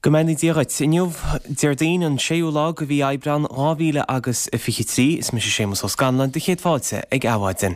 Go mbeannaí Dia dhuit. Inniu, Déardaoin, an séú lá de mhí Aibreán 2000 agus 23. Is mise Séamus Ó Scanláin, do chéad fáilte ag Adhmhaidin.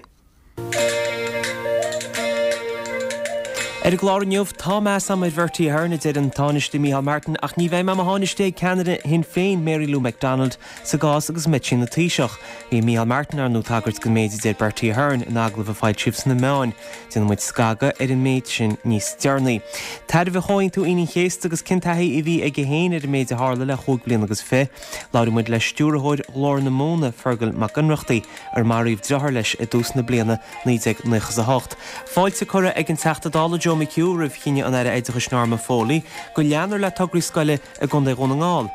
Ar an gclár inniu, tá meas agam ar Bhertie Ahern, a deir an Tánaiste Micheál Martin, ach ní bheidh mé i mo Thánaiste ag ceannaire Shinn Féin, Mary Lou McDonald, sa gcás agus mbeidh sí ina Taoiseach. Bhí Micheál Martin, ar ndóigh, ag tagairt don méid a deir Bertie Ahern in agallamh a foilsíodh sna meáin. Déanfaidh muid scagadh ar an méid sin níos deireanaí. Tairbhe Chomhaontú Aoine an Chéasta agus cén taithí a bhí aige féin ar an méid a tharla le chúig bliana agus fi. Labhróidh muid le stiúrthóir Ghlór na Móna, Fergal Mac Ionnrachtaigh, ar maraíodh driotháir leis i dtús na bliana 1998. Fáilte curtha ag an Teachta Dála Joe McHugh roimh chinneadh an Aire Oideachais Norma Foley go leanfar le tograí scoile i gContae Dhún na nGall.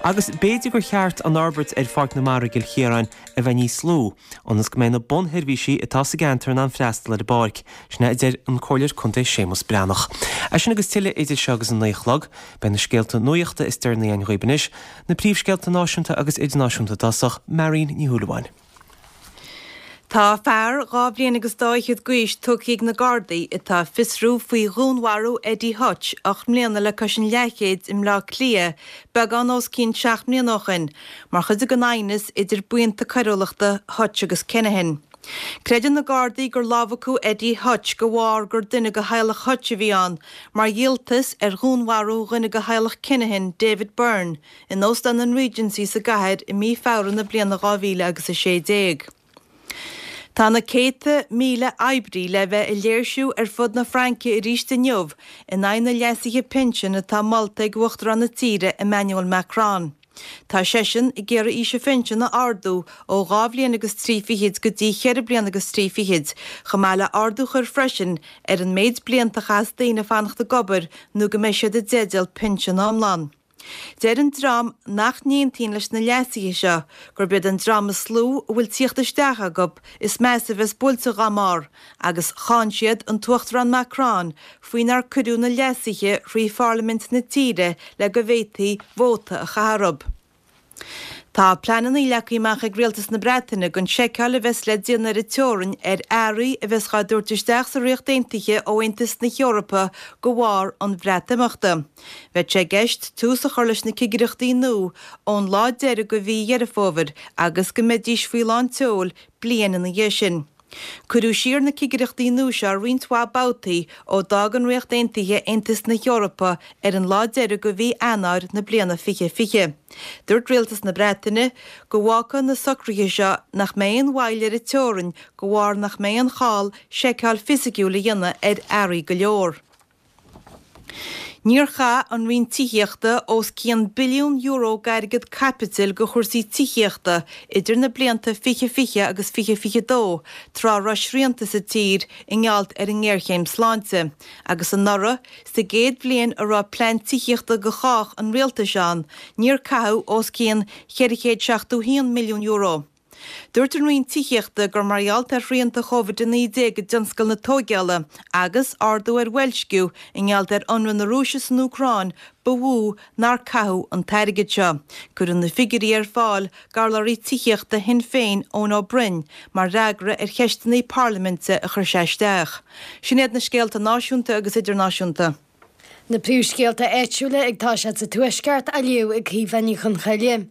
Agus b'fhéidir gur cheart an fhorbairt ar Pháirc na Mara i gCill Chiaráin a bheith níos lú, ionas go mbeidh na bunsheirbhísí atá sa gceantar in ann freastal ar an bpáirc. Sin é a deir an Comhairleoir Contae Séamus Breathnach. É sin agus tuilleadh idir seo agus an 9 a chlog. Beidh na scéalta nuachta is deireanaí againn dhaoib anois, na príomhscéalta náisiúnta agus idirnáisiúnta i dtosach, Marion Ní Shúilleabháin. Tá fear 2 bhliain agus dá fhichead d'aois tugtha ag na Gardaí atá ag fiosrú faoi dhúnmharú Eddie Hutch 8 mbliana le cois an leathchéid i mBleá Cliath beagán os cionn 7 mbliana ó shin, mar chuid den aighneas idir buíonta coiriúlachta Hutch agus Kinahan. Creideann na Gardaí gur lámhacadh Eddie Hutch de bharr gur duine de theaghlach Hutch a bhí ann, mar dhíoltas ar dhúnmharú dhuine de theaghlach Kinahan, David Byrne, in Óstán an Regency sa gcathair i mí Feabhra na bliana 2000 agus 16. Tá na céadta míle oibrí le bheith ag léirsiú ar fud na Fraince arís inniu in aghaidh na leasuithe pinsin atá molta ag Uachtarán na tíre Emmanuel Macron. Tá seisean ag iarraidh aois an phinsin a ardú ó 2 bhliain agus 3 fichid go dtí cheithre bliana agus 3 fichid, chomh maith le ardú a chur freisin ar an méid blianta a chaithfeas daoine fanacht ag obair nó go mbeidh siad i dteideal pinsean iomlán. Deir an dream nach n-aontaíonn leis na leasuithe seo gurb iad an dream is lú a bhfuil tíocht isteach acu is measa a bheas buailte dhá mbarr agus cháin siad an tUachtarán Macron faoi nár cuireadh na leasuithe thrí pharlaimint na tíre le go bhféadfaí vóta a chaitheamh orthu. Tá pleananna leagtha amach ag Rialtas na Breataine don seiceáil a bheas le déanamh ar an teorainn ar earraí a bheas dhá dtabhairt isteach sa Ríocht Aontaithe ó Aontas na hEorpa de bharr an Bhreatimeachta. Bheadh sé i gceist tús a chur leis na cigireachtaí nua ón lá deiridh de mhí Dheireadh Fómhair agus go mbeidís faoi lán tseoil bliain ina dhiaidh sin. Cuireadh siar na cigireachtaí nua seo roinnt mhaith babhtaí ó d'fhág an Ríocht Aontaithe Aontas na hEorpa ar an lá deiridh de mhí Eanáir na bliana 2020. Dúirt Rialtas na Breataine go bhfágfaidh na socruithe seo nach mbeidh aon mhoill ar an teorainn de bharr nach mbeidh aon chall seiceáil fisiciúil a dhéanamh ar earraí go leor. Níor chaith an Roinn Tithíochta os cionn billiún euro d'airgead caipitil do chúrsaí tithíochta idir na blianta 2020 agus 2022 tráth a raibh srianta sa tír i ngeall ar an ngéarchéim sláinte, agus anuraidh, sa gcéad bhliain a raibh plean tithíochta do chách an rialtais ann, níor caitheadh os cionn €471 milliún. Dúirt an Roinn Tithíochta gur mar gheall ar shrianta Covid-19 i dtionscal na tóigeála agus ardú ar bhoilsciú i ngeall ar ionradh na Rúise san Úcráin ba mhó nár caitheadh an t-airgead seo. Cuireadh na figiúirí ar fáil d'urlabhraí tithíochta Shinn Féin Eoin Ó Broin mar fhreagra ar cheisteanna parlaiminte a chuir sé isteach. Sin iad na scéalta náisiúnta agus idirnáisiúnta. Na príomhscéalta áitiúla ag toiseacht sa Tuaisceart á léamh ag Caoimhe Ní Chonchoille.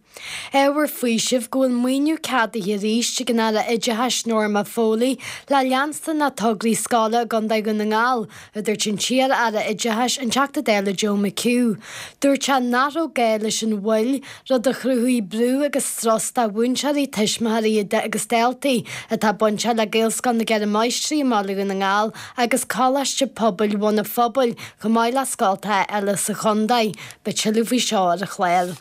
Ábhar faoisimh go bhfuil maoiniú ceadaithe arís ag an Aire Oideachais Norma Foley le leanstan le tograí scoile i gContae Dhún na nGall, a dúirt an t-iar-aire Oideachais, an Teachta Dála Joe McHugh. Dúirt sé nach raibh gá leis an mhoill, rud a chruthaigh brú agus strus do mhúinteoirí, tuismitheoirí agus daltaí atá bainteach le Gaelscoil na gCeithre Máistrí i mBaile Dhún na nGall agus Coláiste Pobail Bhun an Phobail, chomh maith le scoltacha eile sa chontae. Beidh tuilleadh faoi seo ar an chlár.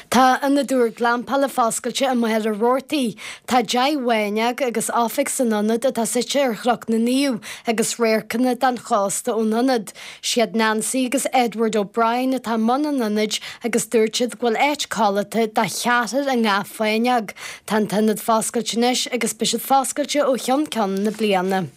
Tá ionad úr glampála foscailte i Machaire Rabhartaigh. Tá 10 bhfáinneog agus oifig san ionad atá suite ar Chnoc na Naomh agus radharcanna den chósta ón ionad. Siad Nancy agus Edward O'Brien atá i mbun an ionaid agus dúirt siad go bhfuil áit codlata do cheathrar i ngach fáinneog. Tá an t-ionad foscailte anois agus beidh siad foscailte ó cheann ceann na bliana.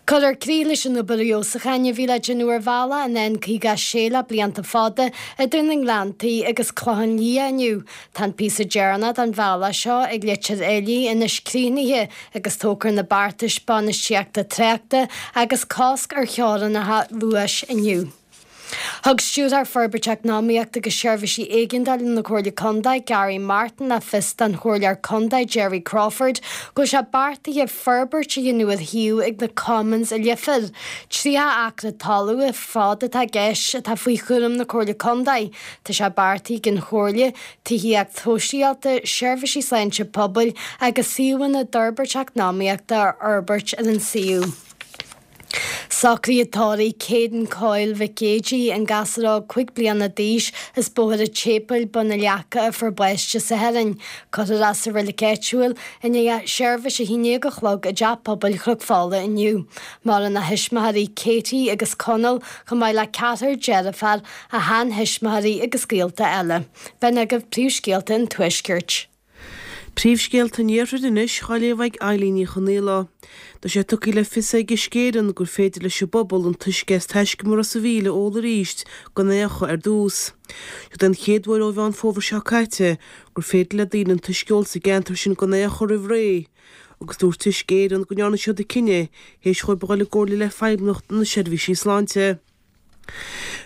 Cuirfear críoch leis an obair fheabhsúcháin a bhí le déanamh ar bhealach an N56 le blianta fada idir na nGleanntaí agus Clochán Liath inniu. Tá an píosa deireanach den bhealach seo ag Leitir Fhailí anois críochnaithe agus tógfar na beartais bainistíochta tráchta agus cosc ar theorainneacha luais inniu. Thug Stiúrthóir Forbairt Eacnamaíochta agus Seirbhísí Éigeandála na Comhairle Contae, Gary Martin, le fios don Chomhairleoir Contae Jerry Crawford go bhfuil sé beartaithe forbairt a dhéanamh ar shuíomh ag na Commons i Leifear. 30 acra talún ar fad atá i gceist atá faoi chúram na Comhairle Contae. Tá sé beartaithe ag an Chomhairle tithíocht shóisialta, seirbhísí sláinte pobail agus suíomhanna d'fhorbairt eacnamaíochta a fhorbairt ar an suíomh. Socruithe tórraimh Caden Coyle Mhic Géidigh, an gasúr óg 5 bliana d'aois as Bóthar an tSéipéil, Bun na Leaca a fuair bás Dé Sathairn. Cuirfear é sa reilig áitiúil i ndiaidh seirbhís a 11 a chlog i dTeach Pobail Chnoc Fola inniu. Maireann a thuismitheoirí Katie agus Conall chomh maith le ceathrar deirféar, a sheanthuismitheoirí agus gaolta eile. B'in agaibh príomhscéalta an Tuaiscirt. Príomhscéalta an Iarthair anois á léamh ag Eilín Ní Chonaola. Tá sé tugtha le fios ag Uisce Éireann gur féidir leis an bpobal an t-uisce as taiscumar Ros a' Mhíl a ól arís gan é a fhiuchadh ar dtús. Seo'd é an chéad uair ó Mheán Fómhair seo caite gur féidir le daoine an t-uisce a ól sa gceantar sin gan é a fhiuchadh roimh ré agus dúirt Uisce Éireann go ndearna siad an cinneadh théis dhóibh a dhul i gcomhairle le Feidhmeannacht na Seirbhísí Sláinte.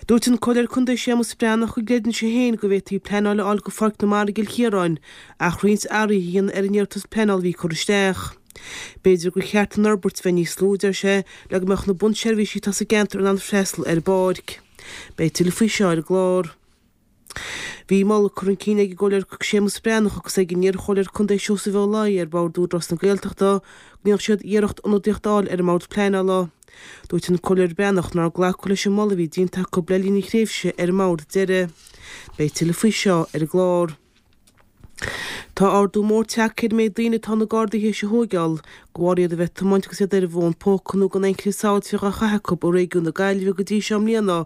Dúirt an Comhairleoir Contae Séamus Breathnach go gcreideann sé féin go bhféadfaí pleanáil a fháil go Pháirc na Mara i gCill Chiaráin ach roinnt athruithe a dhéanamh ar an iarratas pleanála a bhí curtha isteach. B'fhéidir gur cheart an fhorbairt bheith níos lú, a deir sé, le go mbeadh na bunseirbhísí atá sa gceantar in ann freastal ar an bpáirc. Beidh tuilleadh faoi seo ar an gclár. Bhí moladh curtha chun cinn ag an gComhairleoir Séamus Breathnach agus ag an iar-Chomhairleoir Contae Seosamh Ó Laoi ar Bhord Údarás na Gaeltachta go ndéanfadh siad iarracht ionadaíocht a fháil ar an mBord Pleanála. Dúirt an Comhairleoir Breathnach nár glacadh leis an moladh a bhí déanta acu le linn a thréimhse ar an mbord deiridh. Beidh tuilleadh faoi seo ar an gclár. Tá ardú mór tagtha ar an méid daoine atá na Gardaí théis a thóigeáil de bharr iad a bheith ag tiomáint agus iad ar an bhfón póca nó gan aon chrios sábháilteachta á chaitheamh acu i réigiún na Gaillimhe go dtí seo i mbliana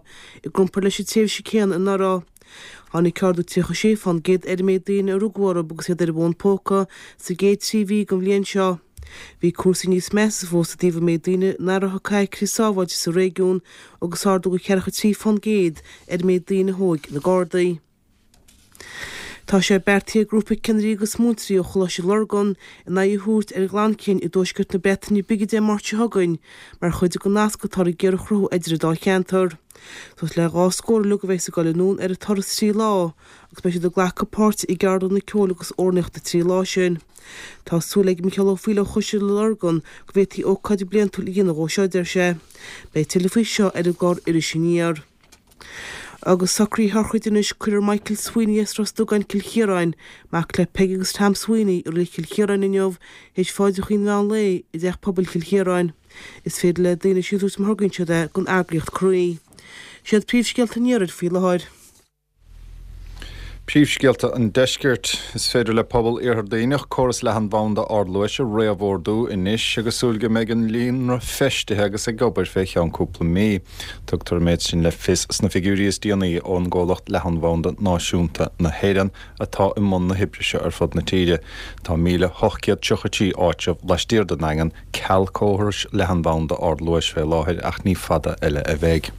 i gcomparáid leis an tréimhse céanna anuraidh. Tháinig ardú 36 fán gcéad ar an méid daoine a rugadh orthu agus iad ar an bhfón póca sa gcéad trí mhí den bhliain seo. Bhí cúrsaí níos measa fós i dtaobh an méid daoine nach raibh ag caitheamh crios sábháilteachta sa réigiún agus ardú de 43 fán gcéad ar an méid daoine a thóig na Gardaí. Tá sé beartaithe ag grúpa ceannairí agus múinteoirí ó Choláiste Lurgan a n-aghaidh a thabhairt ar Ghleann Cinn i dtuaisceart na Breataine Bige Dé Máirt seo chugainn mar chuid den nasc atáthar ag iarraidh a chruthú idir an dá cheantar. Suas le 2 scór uilig a bheas ag dul anonn ar an turas 3 lá agus beidh siad ag glacadh páirte i gceardlanna ceoil agus amhránaíochta 3 lá sin. Tá súil ag Micheál Ó Foighil ó Choiste Lurgan go bhféadfaí ócáid bliantúil a dhéanamh dhó seo, a deir sé. Beidh tuilleadh faoi seo ar an gclár Iris Aniar. Agus socruithe sochraide anois, cuirfear Michael Sweeney as Ros Dugáin, Cill Chiaráin, mac le Peggy agus Tom Sweeney, i Reilig Chill Chiaráin inniu, théis phaidreacha an mheán lae i dTeach Pobail Chill Chiaráin. Is féidir le daoine síntiús má thorgaíonn siad é don eagraíocht Croí. Siad príomhscéalta an iarthair faoi láthair. Príomhscéalta an Deiscirt. Is féidir le pobal Iarthar Duibhneach córas leathanbhanda ardluais a réamhordú anois agus súil go mbeidh an líonra feistithe agus ag obair fé cheann cúpla mí. Tugtar an méid sin le fios sna figiúirí is déanaí ón gcomhlacht Leathanbhanda Náisiúnta na hÉireann atá i mbun na hoibre seo ar fud na tíre. Tá 1,833 áitreabh laistiar den nDaingean ceal córais leathanbhanda ardluais fé láthair ach ní fada eile a bheidh.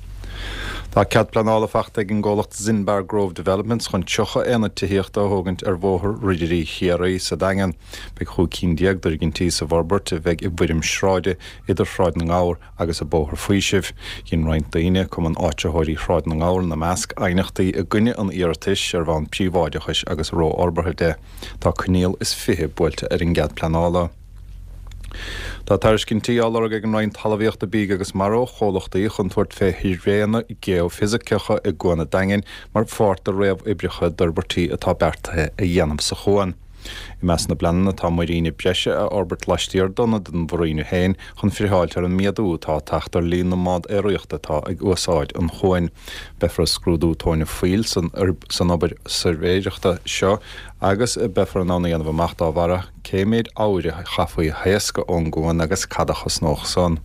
Tá cead pleanála fachta ag an gcomhlacht Zinbar Grove Developments chun 30 aonad tithíochta a thógaint ar Bhóthar Ridirí Chiarraí sa Daingean. Beidh 15 cinn d'fhoirgintí sa bhforbairt a bheidh i bhfoirm sráide idir Shráid na nGabhar agus an Bóthar Faoisimh. Dhein roinnt daoine, Cumann Áitritheoirí Shráid na nGabhar ina measc, aighneachtaí i gcoinne an iarratais ar bhonn príobháideachais agus rófhorbartha de. Tá coinníoll is 20 buailte ar an gcead pleanála. Tá tairiscintí á lorg ag an Roinn Talmhaíochta, Bídh agus Mara ó chomhlachtaí chun tabhairt fé shuirbhéanna geoifisiceacha i gCuan an Daingin mar pháirt de réamhoibreacha d'fhorbairtí atá beartaithe a dhéanamh sa chuan. I measc na bpleananna tá muiríne breise a fhorbairt laistiar d'ionad an mhuiríne féin chun friotháilt ar an méadú atá ag teacht ar líon na mbád aeraíochta atá ag úsáid an chuain. Beifear ag scrúdú tóin an phoill san obair suirbhéireachta seo agus beifear in ann a dhéanamh amach dá bharra cé méid eabhair a chaithfí a thaoscadh ón gcuan agus cad a chosnódh san.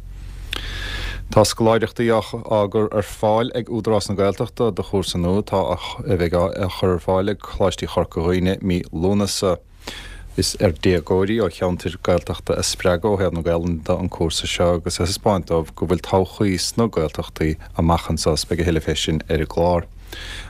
Tá scoláireachtaí á gcur ar fáil ag Údarás na Gaeltachta do chúrsa nua atá a bheidh á chur ar fáil ag Coláistí Chorca Dhuibhne mí Lúnasa. Is ar déagóirí ó cheantair Gaeltachta a spreagadh ó thaobh na Gaelainne de an cúrsa seo agus a thaispeáint dóibh go bhfuil todhchaí sna Gaeltachtaí amach anseo. Beidh a thuilleadh fé sin ar an gclár.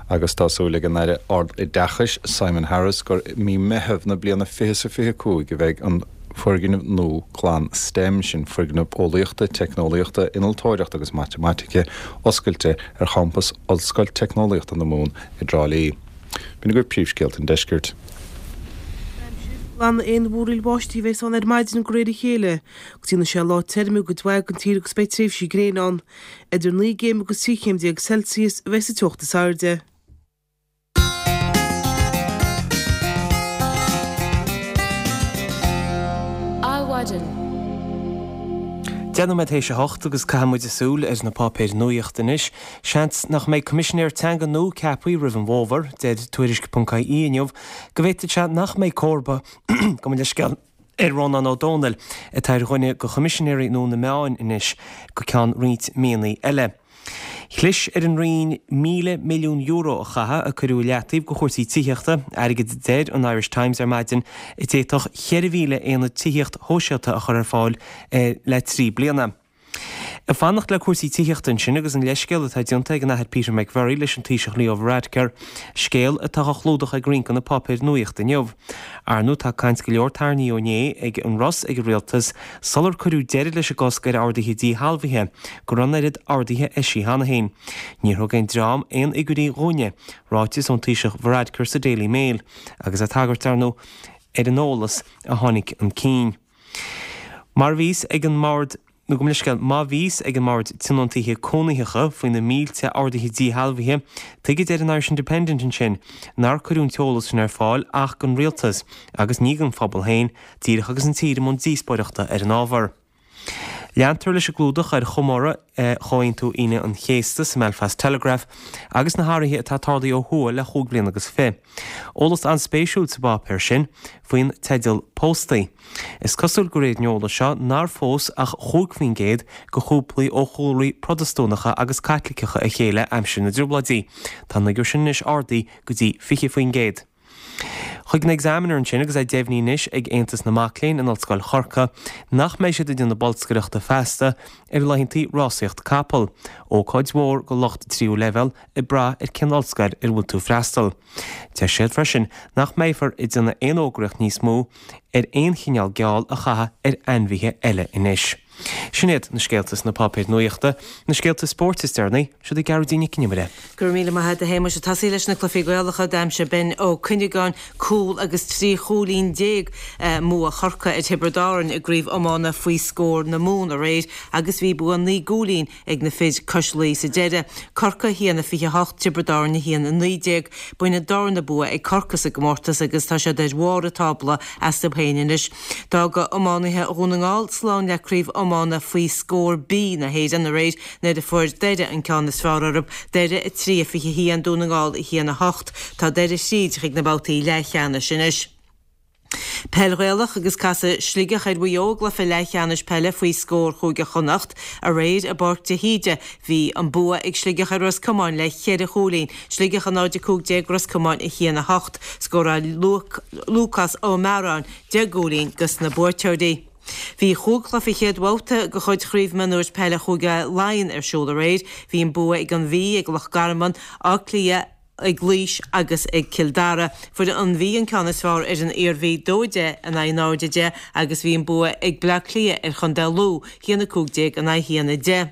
Agus tá súil ag an Aire Ard-Oideachais, Simon Harris, gur i mí Meitheamh na bliana 2025 a bheidh an. Foirgneamh nua glan stem, sin Foirgneamh Eolaíochta, Teicneolaíochta, Innealtóireachta agus Matamaitice, oscailte ar champas Ollscoil Teicneolaíochta na Mumhan i dTrá Lí. B'in agaibh príomhscéalta an deiscirt. Aimsir, Glanadh aon mhúraíl bháistí a bheas ann ar maidin de réir a chéile. Go déanfaidh sé lá tirim i gcuid mhaith den tír agus beidh tréimhsí gréine ann. Idir 9 gcéim agus 13 chéim Celsius a bheas an teocht is airde. Adhmhaidin. 10 nóiméad théis a hocht agus caithfidh muid súil ar na páipéir nuaíochta anois. Seans nach mbeidh Coimisinéir Teanga nua ceaptha roimh an bhfómhar. Deir Tuairisc.ie inniu go bhféadfadh sé nach mbeidh comharba, gabh mo leithscéal, ar Rónán Ó Domhnaill, atá ar dhuine de Choimisinéirí nua na Meáin anois, go ceann roinnt míonna eile. Chlis ar an Roinn €1,000 milliún a chaitheamh a cuireadh i leataobh do chúrsaí tithíochta, airgead a deir an Irish Times ar maidin a d'fhéadfadh 4,000 aonad tithíocht shóisialta a chur ar fáil le 3 bliana. Ag fanacht le cúrsaí tithíochta ansin agus an leithscéal atá déanta ag an Athair Peter McVerry leis an Taoiseach Leo Varadkar, scéal atá á chlúdach ag roinnt de na páipéir nuaíochta inniu. Ar ndóigh tá caint go leor tarraingthe ó inné ag an Ros ag an Rialtas sular cuireadh deireadh leis an gcosc ar orduithe díshealbhaithe, go raibh an oiread orduithe eisithe cheana féin. Níor thug aon dream aon fhigiúirí dhúinne, ráiteas ón Taoiseach Varadkar sa Daily Mail, agus ag tagairt, ar ndóigh, ar an eolas a tháinig chun cinn. Mar a bhíos ag an mbord. Nó gabh mo leithscéal, má bhí fhios ag an mBord Tionóntaithe Cónaitheacha faoi na mílte orduithe díshealbhaithe, tuige a deir an Irish Independent ansin nár cuireadh an t-eolas sin ar fáil ach don rialtas agus ní don phobal féin, díreach agus an tír i mbun díospóireachta ar an ábhar. Leantar leis an gclúdach ar chomóradh Chomhaontú Aoine an Chéasta sa mBelfast Telegraph agus na hathruithe atá tarlaithe ó thuaidh le chúig bliana agus fi. Eolas an-spéisiúil sa bpáipéar sin faoin teideal póstaí. Is cosúil de réir an eolais seo nár phós ach 5% de chúplaí ó chúlraí Protastúnacha agus Caitliceacha a chéile aimsir na dTrioblóidí. Tá an fhigiúr sin anois ardaithe go dtí 20%. Chuig an Examiner ansin agus é deimhnithe anois ag Aontas na Mac Léinn in Ollscoil Chorcaí nach mbeidh siad ag déanamh bolscaireachta feasta ar laethanta rásaíocht capall, ócáid mhór do lucht tríú leibhéal ag brath ar cén ollscoil ar a bhfuil tú ag freastal. Deir siad freisin nach mbeifear ag déanamh aon fhógraíocht níos mó ar aon chineál geall a chaitheamh ar ainmhithe eile anois. Sin iad na scéalta sna páipéir nuaíochta, na scéalta spóirt is deireanaí, siod í Gearóidín Nic Con Iomaire. Go raibh míle maith agat a Shéamuis. Ag tosaí leis na cluichí Gaelacha, d'aimsigh Ben Ó Cuinneagáin cúl agus 13 chúilín i mbua Chorcaí ar Thiobraid Árann i gCraobh Iomána faoi scór na Mumhan aréir agus bhí bua 9 gcúilín ag na fir cois Laoi sa deireadh. Corcaigh 1-28, Tiobraid Árann 1-19. B'in an darna bua ag Corcaigh sa gcomórtas agus tá siad ar bharr an tábla astu féin anois. D'fhág iománaithe Dhún na nGall slán le Craobh Iomána faoi Scór B na hÉireann aréir nuair a fuair Doire an ceann is fearr orthu, Doire 3-21, Dún na nGall 1-8. Tá Doire thríd chuig na babhtaí leathcheannais anois. Peil Ghaelach agus casfaidh Sligeach ar Mhaigh Eo i gcluiche leathcheannais peile faoi scór Chúige Chonnacht aréir i bPáirc de hÍde. Bhí an bua ag Sligeach ar Ros Comáin le cheithre chúilín, Sligeach 0-15, Ros Comáin 1-8. Scóráil Lúcás Ó Mearáin 10 gcúilín dos na buaiteoirí. Bhí chúig chluiche chéad bhabhta de chuid Chraobh Mionúir Peile Chúige Laighean ar siúl aréir. Bhí an bua ag an Mhí, ag Loch Garman, Áth Cliath, ag Laois agus ag Cill Dara. Fuair an Mhí an ceann is fearr ar an Iarmhí, 2-10 in aghaidh 0-10, agus bhí an bua ag Bleá Cliath ar Chontae Lú, 1-15 in aghaidh 1-10.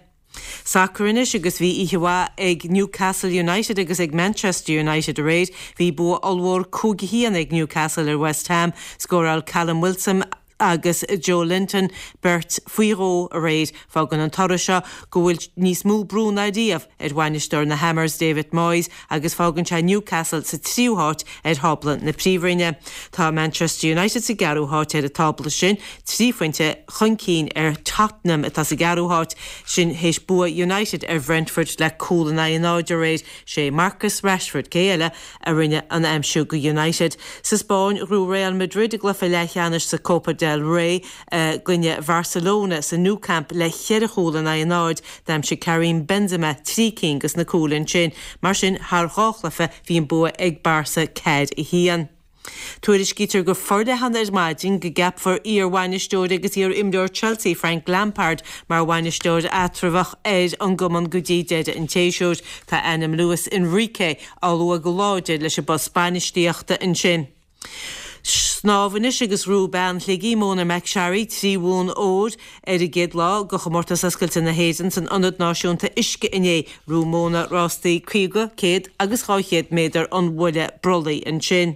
Sacar anois agus bhí oíche mhaith ag Newcastle United agus ag Manchester United aréir. Bhí bua ollmhór 5-1 ag Newcastle ar West Ham. Scóráil Callum Wilson agus Joelinton beirt faoi dhó aréir. Fágann an toradh seo go bhfuil níos mó brú ná riamh ar bhainisteoir na Hammers, David Moyes, agus fágann sé Newcastle sa tríú háit ar thábla na Príomhroinne. Tá Manchester United sa gceathrú háit ar an tábla sin, trí phointe chun cinn ar Tottenham atá sa gceathrú háit, sin théis bua United ar Bhrentford le cúl in aghaidh a náid aréir. Sé Marcus Rashford, cé eile, a rinne an aimsiú go United. Sa Spáinn, ghnóthaigh Real Madrid a gcluiche leathcheannais sa Copa del Rey i gcoinne Bharcelona sa Nou Camp le cheithre chúl in aghaidh a náid. D'aimsigh Karim Benzema 3 cinn dos na cúil ansin. Mar sin, thar dhá chluiche, bhí an bua ag Barca 4-1. Tuairiscítear go forleathan ar maidin go gceapfar iar-bhainisteoir agus iar-imreoir Chelsea Frank Lampard mar bhainisteoir eatramhach ar an gcumann go dtí deireadh an tséasúir. Tá ainm Luis Enrique á lua go láidir leis an bpost bainistíochta ansin. Snámh anois agus ghnóthaigh bean Shligigh, Mona McSharry, 3 bhonn óir ar an gcéad lá de Chomórtas Oscailte na hÉireann san Ionad Náisiúnta Uisce inné. Ghnóthaigh Mona rástaí 50, 100 agus 200 méadar an bhuille brollaigh ansin.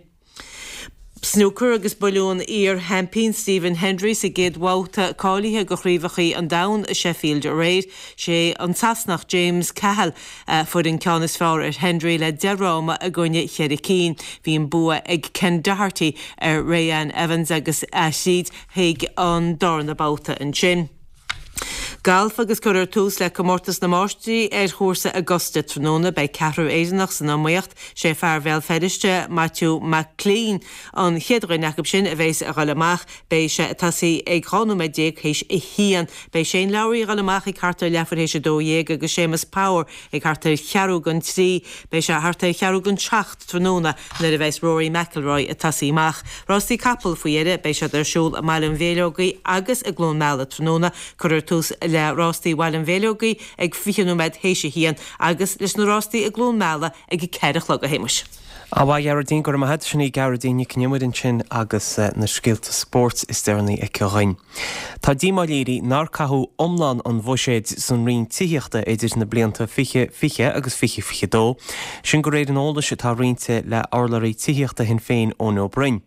Snúcar agus buaileadh an iar-sheaimpín Stephen Hendry sa gcéad bhabhta cáilithe do Chraobhacha an Domhain i Sheffield aréir. Sé an Sasanach James Cahill a fuair an ceann is fearr ar Hendry le 10 fhráma i gcoinne cheithre cinn. Bhí an bua ag Ken Doherty ar Reanne Evans agus é thríd chuig an darna babhta ansin. Galf agus cuirfear tús le Comórtas na Máistrí ar chúrsa Augusta tráthnóna. Beidh ceathrar Éireannach san iomaíocht. Sé fear Bhéal Feirste, Maitiú Mac Clean, an chéad dhuine acu sin a bheas a dhul amach. Beidh sé ag tosaí ag 12 nóiméad théis a haon. Beidh Shane Lowry a dhul amach ag thart ar leathuair théis a 12 agus Séamus Power ag thart ar cheathrú don trí. Beidh sé thart ar cheathrú don seacht tráthnóna nuair a bheas Rory McIlroy ag tosaí amach. Rástaí capall faoi dheireadh, beidh siad ar siúl i mBaile an Mhéileogaigh agus i gCluain Meala tráthnóna. Cuirfear tús le rástaí Bhaile an Mhéileogaigh ag 20 nóiméad théis a haon agus leis na rástaí i gCluain Meala ag a 4 a chlog, a Shéamais. Ana mhaith, a Ghearóidín, go raibh maith agat. Sin í Gearóidín Nic an Iomaire ansin agus na scéalta spóirt is deireanaí aici dhuinn. Tá díomá léirithe nár caitheadh iomlán an bhuiséid san Roinn Tithíochta idir na blianta 2020 agus 2022, sin de réir an eolais atá roinnte le urlabhraí tithíochta Shinn Féin Eoin Ó Broin.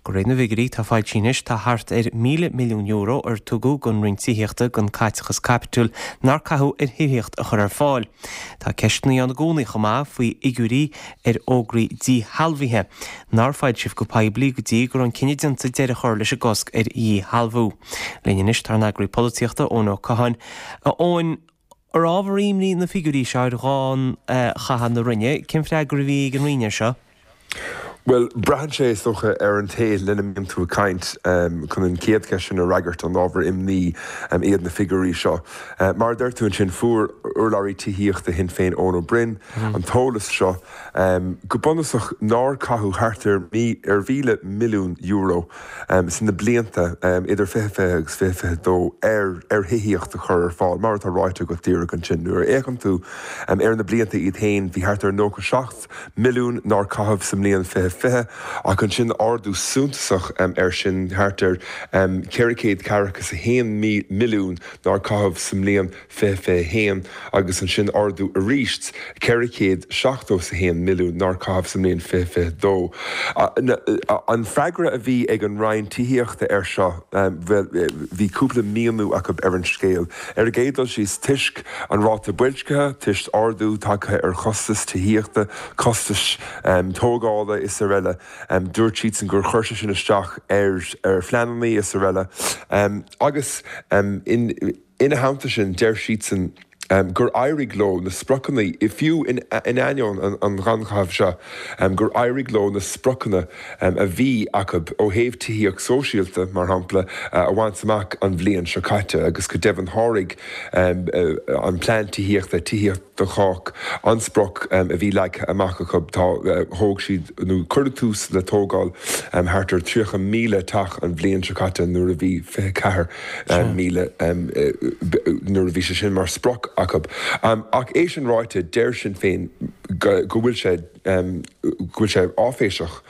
De réir na bhfigiúirí atá foilsithe anois tá thart ar €1,000 milliún ar tugadh don Roinn Tithíochta don caiteachas caipitiúil nár caitheadh ar thithíocht a chur ar fáil. Tá ceisteanna ann i gcónaí chomh maith faoi fhigiúirí ar fhógraí díshealbhaithe nár foilsíodh go poiblí go dtí go raibh an cinneadh déanta deireadh a chur leis an gcosc ar dhíshealbhú. Linn anois tá ár n-eagraí polaitíochta, Eoin Ó Catháin. A Eoin, ar ábhar imní na figiúirí seo ar ghannchaitheamh na Roinne, cén freagra a bhí ag an Roinn air seo? Bhuel, braitheann sé, is dócha, ar an té lena mbíonn tú ag caint. Chun an chéad cheist sin a fhreagairt, an ábhar imní iad na figiúirí seo? Mar a deir tú ansin, fuair urlabhraí tithíochta Shinn Féin, Eoin Ó Broin, an t-eolas seo, go bunúsach, nár caitheadh thart ar €1,000 milliún sna blianta idir 2020 agus 2022 ar thithíocht a chur ar fáil, mar atá ráite agat díreach ansin. Nuair a fhéachann tú ar na blianta iad féin, bhí thart ar 97. milliún nár caitheadh sa mbliain 2020, ach ansin ardú suntasach air sin, thart ar 441 milliún nár caitheadh sa mbliain 2021 agus ansin ardú arís 471 milliún nár caitheadh sa mbliain 2022. An freagra a bhí ag an Roinn Tithíochta air seo, bhuel, bhí cúpla míniú acu ar an scéal. Ar an gcéad dul síos, toisc an ráta boilscithe, toisc ardú tagtha ar chostais tithíochta, costais tógála is araile, dúirt siadsan gur chuir sé sin isteach ar phleananna is araile. Agus ina theannta sin, deir siadsan gur éirigh leo na spriocanna, fiú in ainneoin an ghannchaithimh seo, gur éirigh leo na spriocanna a bhí acu ó thaobh tithíocht sóisialta, mar shampla, a bhaint amach an bhliain seo caite agus go deimhin sháraigh an plean tithíochta, Tithíocht do Chách, an sprioc a bhí leagtha amach acu. Tá, thóg siad, nó cuireadh tús le tógáil thart ar 30,000 teach an bhliain seo caite nuair a bhí 24,000, nuair a bhí sé sin mar sprioc acu. Ach é sin ráite, deir Sinn Féin go bhfuil sé, go bhfuil sé áiféiseach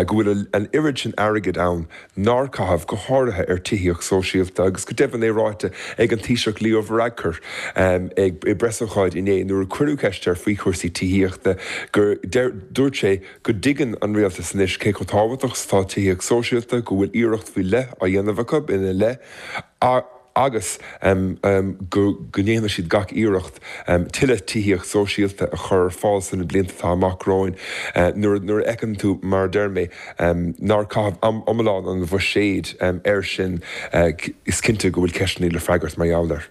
go bhfuil an oiread sin airgid ann nár caitheadh, go háirithe ar tithíocht sóisialta, agus go deimhin é ráite ag an Taoiseach Leo Varadkar ag i bpreasócáid inné nuair a cuireadh ceist air faoi chúrsaí tithíochta gur dúirt sé go dtuigeann an rialtas anois cé chomh tábhachtach is atá tithíocht sóisialta, go bhfuil iarracht faoi leith á dhéanamh acu ina leith. agus go ndéanfaidh siad gach iarracht tuilleadh tithíocht sóisialta a chur ar fáil sna blianta atá amach romhainn. Nuair a fheiceann tú, mar a deir mé, nár caitheadh iomlán an bhuiséid air sin, is cinnte go bhfuil ceisteanna le freagairt mar gheall air.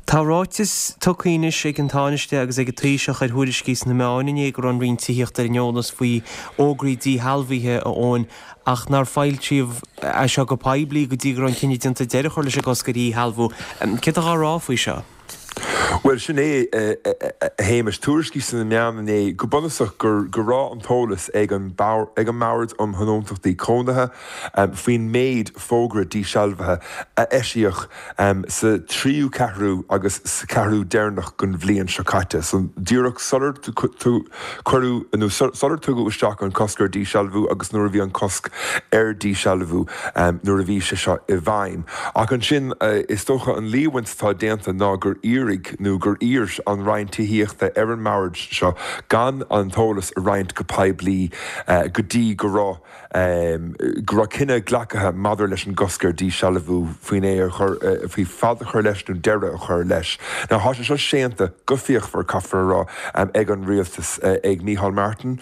Tá ráiteas tugtha anois ag an Tánaiste agus ag an Taoiseach ar thuairiscí sna meáin inné go raibh an Roinn Tithíochta ar an eolas faoi fhógraí díshealbhaithe, a Eoin, ach nár foilsíodh é seo go poiblí go dtí go raibh an cinneadh déanta deireadh a chur leis an gcosc ar dhíshealbhú. Céard atá á rá faoi seo? Bhuel, sin é, a Shéamais. Tuairiscí sna meáin inné, go bunúsach, go go raibh an t-eolas ag an ag an mBord um Thionóntachtaí Cónaithe faoin méid fógra dísealbhaithe a eisíodh sa tríú ceathrú agus sa cheathrú deireanach den bhliain seo caite, so díreach sular cuireadh nó sular tugadh isteach an cosc ar dísealbhú agus nuair a bhí an cosc ar dísealbhú nuair a bhí sé seo i bhfeidhm. Ach ansin, is dócha an líomhaint atá déanta ná gur iarraidh nó gur iarr an Roinn Tithíochta ar an mBord seo gan an t-eolas a roinnt go poiblí go dtí go raibh go raibh cinneadh glactha maidir leis an gcosc ar dísealbhú, faoin é a chur, faoi fad a chur leis nó deireadh a chur leis. Now tá sé seo séanta go fíochmhar, caithfear a rá, ag an rialtas, ag Micheál Martin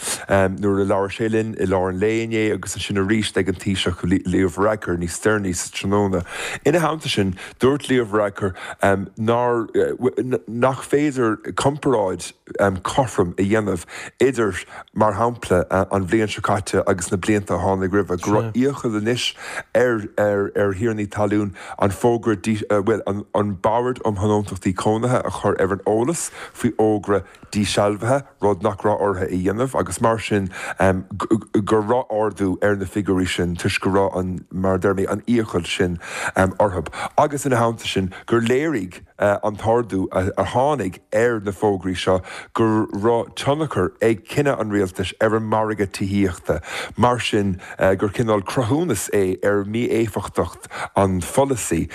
nuair a labhair sé linn i lár an lae inné agus ansin arís ag an Taoiseach Leo Varadkar níos deireanaí sa tráthnóna. Ina theannta sin, dúirt Leo Varadkar nár, nach féidir comparáid cothrom a dhéanamh idir, mar shampla, an bhliain seo caite agus na blianta a tháinig roimhe, go raibh iachall anois ar ar thiarnaí talún an fógra, bhuel, an Bord um Thionóntachtaí Cónaithe a chur ar an eolas faoi fhógra dísealbhaithe, rud nach raibh orthu a dhéanamh, agus mar sin go raibh ardú ar na figiúirí sin toisc go raibh an, mar a deir mé, an iachall sin orthu. Agus ina theannta sin, gur léirigh. an t-ardú a tháinig ar na fógraí seo go raibh tionchar ag cinneadh an rialtais ar an margadh tithíochta, mar sin gur cineál cruthúnas é ar mhí-éifeachtacht an pholasaí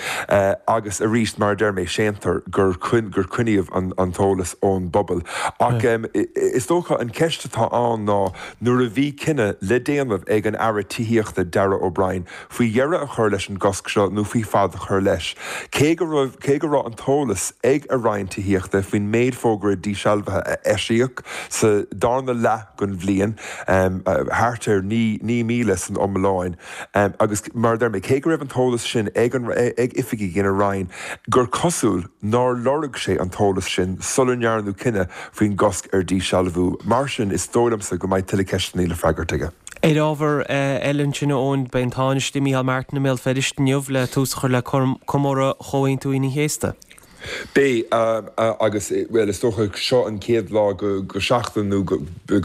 agus arís, mar a deir mé, séantar gur coinníodh an t-eolas ón bpobal. Ach is dócha an cheist atá ann ná nuair a bhí cinneadh le déanamh ag an Aire Tithíochta Darragh O'Brien, faoi dheireadh a chur leis an gcosc seo nó faoi fad a chur leis. Cé go raibh cé go raibh an t-eolas ag a Roinn Tithíochta faoin méid fógra dísealbhaithe a eisíodh sa darna leath den bhliain, thart ar 9,000 san iomláin, agus mar a deir mé, cé go raibh an t-eolas sin ag an ag oifigigh ina Roinn, gur cosúil nár lorg sé an t-eolas sin sula ndearnadh cinneadh faoin gcosc ar dhísealbhú. Mar sin, is dóigh liomsa go mbeidh tuilleadh ceisteanna le freagairt aige. Ar ábhar eile ansin, a Eoin, beidh an Tánaiste Micheál Martin i mbéal Feirste inniu le tús a chur le comóradh Chomhaontú Aoine an Chéasta. Beidh, agus, bhuel, is dócha seo an chéad lá go seachtain nó go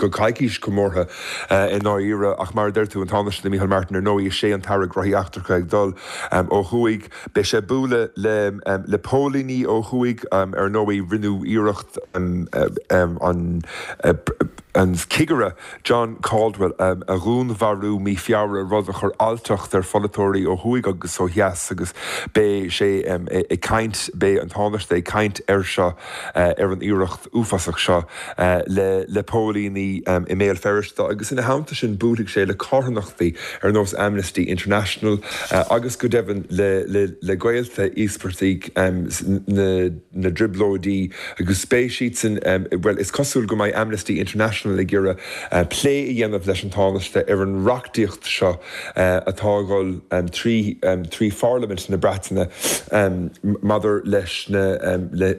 coicís comórtha i ndáiríre ach mar a deir tú, an Tánaiste Micheál Martin, ar ndóigh, is é an tAire Gnóthaí Eachtracha ag dul ó thuaidh. Beidh sé ag bualadh le póilíní ó thuaidh, ar ndóigh, rinneadh iarracht an an cigire John Caldwell a dhúnmharú mí Feabhra, rud a chuir alltacht ar pholaiteoirí ó thuaidh agus ó dheas agus beidh sé ag caint, beidh an Tánaiste ag caint air seo, ar an iarracht uafásach seo le póilíní i mBéal Feirste agus ina theannta sin buailfidh sé le carthanachtaí ar nós Amnesty International agus go deimhin le gaolta íospartaigh na na dTrioblóidí agus beidh siadsan, bhuel, is cosúil go mbeidh Amnesty International ag iarraidh plé a dhéanamh leis an Tánaiste ar an reachtaíocht seo atá ag dul trí trí Pharlaimint na Breataine maidir leis na le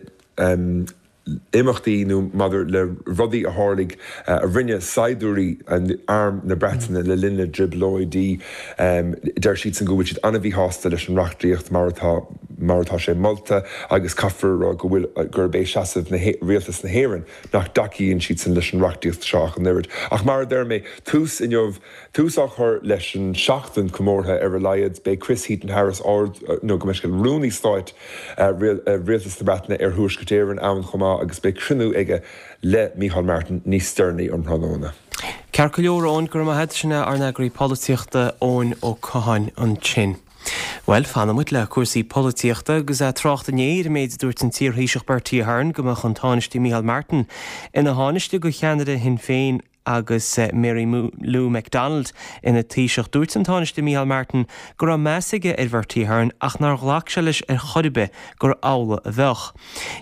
imeachtaí nó maidir le rudaí a tharlaigh a rinne saighdiúirí Arm na Breataine le linn na dTrioblóidí. Deir siadsan go bhfuil siad an-mhíshásta leis an reachtaíocht mar atá mar atá sé molta agus caithfear a rá go bhfuil, gurb é seasamh na, Rialtas na hÉireann nach dtacaíonn siadsan leis an reachtaíocht seo ach an oiread. Ach mar a deir mé, tús inniu, tús á chur leis an seachtain comórtha ar a laghad. Beidh Chris Heaton-Harris, Ard, nó gabh mo leithscéal, Rúnaí Stáit Rialtas na Breataine ar Thuaisceart Éireann ann chomh maith agus beidh cruinniú aige le Micheál Martin níos deireanaí um thráthnóna. Ceart go leor, Eoin, go raibh maith agat. Sin é ár n-eagraí polaitíochta, Eoin Ó Catháin ansin. Bhuel, fanfaidh muid le cúrsaí polaitíochta agus trácht inné ar an méid a dúirt an t-iarThaoiseach Bertie Ahern go mbeadh an Tánaiste Micheál Martin ina Thánaiste do cheannaire Shinn Féin agus Mary Lou McDonald ina Taoiseach. Dúirt an Tánaiste Micheál Martin go raibh meas aige ar Bhertie Ahern ach nár ghlac sé leis ar chor ar bith gur amhlaidh a bheadh.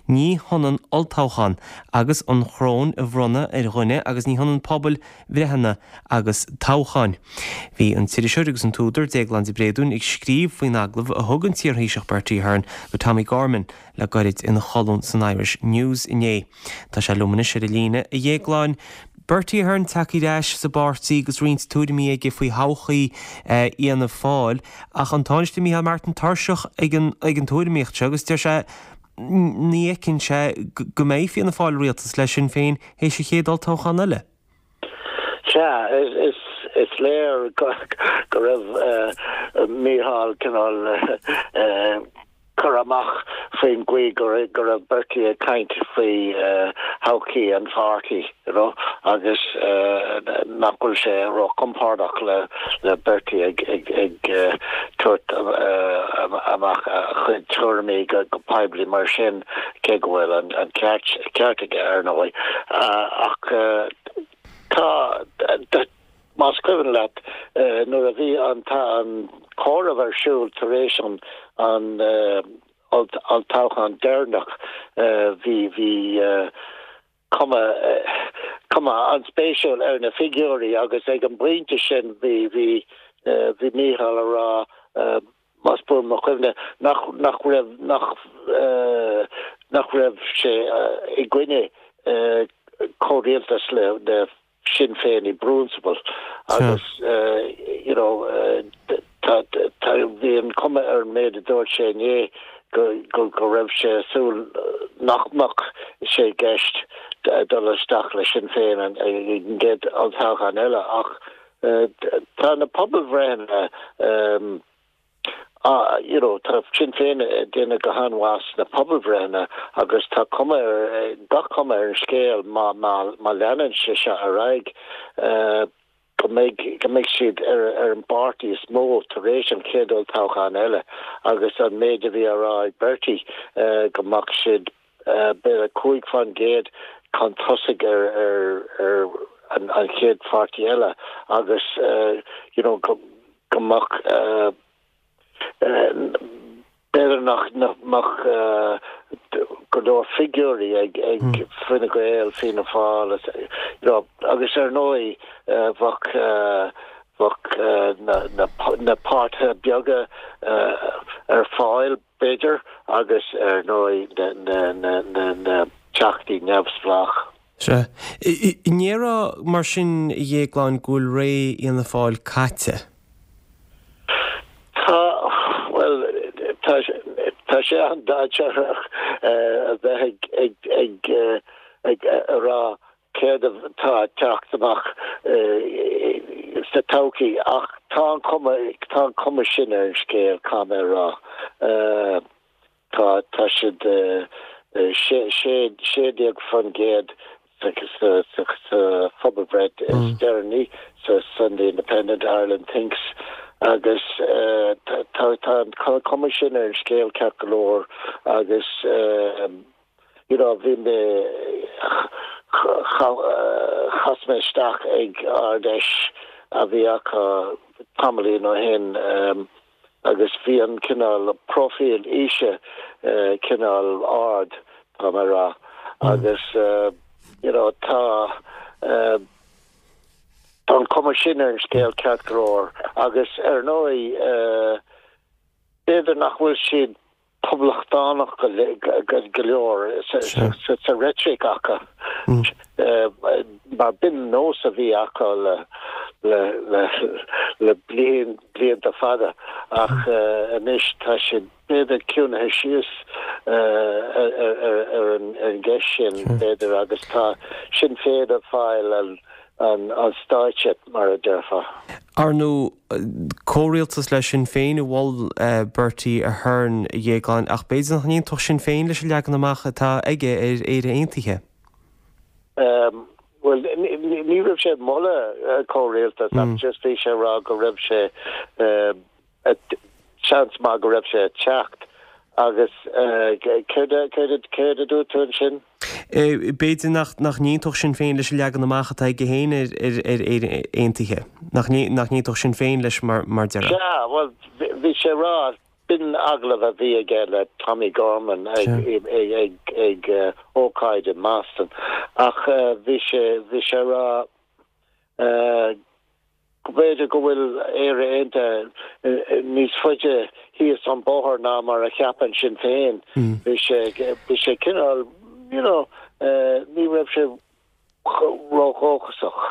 Ní hionann olltoghchán agus an choróin a bhronnadh ar dhuine agus ní hionann pobalbhreitheanna agus toghcháin. Bhí an t-iriseoir agus an t-údar Déaglán De Bréadún ag scríobh faoin agallamh a thug an t-iarThaoiseach Bertie Ahern do Tommie Gorman le gairid ina cholún san Irish News inné. Tá sé liom anois ar an líne, a Dhéagláin. Bertie Ahern tagtha ar ais sa bpáirtí agus roinnt tuairimí aige faoi thodhchaí Fhianna Fáil ach an Tánaiste Micheál Martin tuirseach ag an ag an tuairimíocht seo agus deir sé. ní fheiceann sé go mbeidh Fianna Fáil i rialtas le Sinn Féin théis an chéad olltoghchán eile. Sea, is léir go raibh Mícheál cineál curtha amach faoin gcaoi go raibh Bertie ag caint faoi thodhchaí an pháirtí, you know, agus nach bhfuil sé róchompordach le Bertie ag tabhairt amach a chuid tuairimí go poiblí mar sin, cé go bhfuil an ceart aige, ar ndóigh. Ach tá. Más cuimhin leat, nuair a bhí an comhaireamh ar siúl tar éis an olltoghchán deireanach, bhí bhí cuma cuma an-spéisiúil ar na figiúirí agus ag an bpointe sin bhí bhí bhí Mícheál a rá, más buan mo chuimhne, nach nach raibh nach nach raibh sé i gcoinne comhrialtas le le Sinn Féin i bprionsabal agus you know tá tá bhí an cuma ar an méid a dúirt sé inné go go go raibh sé ag súil nach mbeadh sé i gceist dul isteach le Sinn Féin an ag an gcéad olltoghchán eile ach tá na pobalbhreitheanna Ah, you know, tá Sinn Féin ag déanamh go han-mhaith sna pobalbhreitheanna agus tá cuma ar, gach cuma ar an scéal má, má, má leanann sé seo ar aghaidh, go mbeidh, go mbeidh siad ar, ar an bpáirtí is mó tar éis an chéad olltoghchán eile agus an méid a bhí á rá ag Bertie, go mbeadh siad, b'fhéidir 5% chun tosaigh ar, ar, ar an, an chéad pháirtí eile agus, you know, go, go mbeadh, b'fhéidir nach mbeadh go leor figiúirí ag Fine Gael, Fianna Fáil, you know, agus ar ndóigh bheadh bheadh na páirtithe beaga ar fáil, b'fhéidir, agus ar ndóigh na teachtaí neamhspleách. Sea. An ndéarfá mar sin, a Dhéagláin, go bhfuil ré Fhianna Fáil caite? Tá, bhuel, tá, tá sé an-dainséarach a bheith ag, ag, ag, ag a rá céard atá ag teacht amach sa todhchaí ach tá an chuma, tá an chuma sin ar an scéal, caithfidh mé a rá. Tá, tá siad 16% sa, sa, sa phobalbhreith is deireanaí sa Sunday Independent, Ireland Thinks agus tá, tá an chuma sin ar an scéal ceart go leor agus you know bhí mé, chas mé isteach ag Ard-Fheis a bhí acu tamaillín ó shin agus bhí an cineál próifíl aoise cineál ard, tá mé a rá, agus you know tá tá an cuma sin ar an scéal ceart go leor agus ar ndóigh b'fhéidir nach bhfuil siad poblachtánach go leor sa reitric acu mar b'in nós a bhí acu le blianta fada ach anois tá siad b'fhéidir ciúnaithe síos ar an gceist sin b'fhéidir agus tá Sinn Féin ag fáil an an stáitse, mar a déarfá. Ar ndóigh, comhrialtas le Sinn Féin a mhol Bertie Ahern, a Dhéagláin, ach b'fhéidir nach n-aontódh Sinn Féin leis an leagan amach atá aige ar Éire Aontaithe. Bhuel, ní raibh sé ag moladh comhrialtas ach just bhí sé ag rá go raibh sé Seans maith go raibh sé ag teacht agus céard a dúirt tú ansin? B'fhéidir nach n-aontódh Sinn Féin leis an leagan amach atá aige féin ar Éire Aontaithe. Nach n-aontódh Sinn Féin leis mar a déarfá. Sea, bhuel, bhí sé ag rá, b'in agallamh a bhí aige le Tommie Gorman ag ócáid i mBoston, ach bhí sé, bhí sé ag rá, go mb'fhéidir go bhfuil Éire Aontaithe níos faide thíos an bóthar ná mar a cheapann Sinn Féin. Bhí sé, bhí sé cineál, you know, ní raibh sé ródhóchasach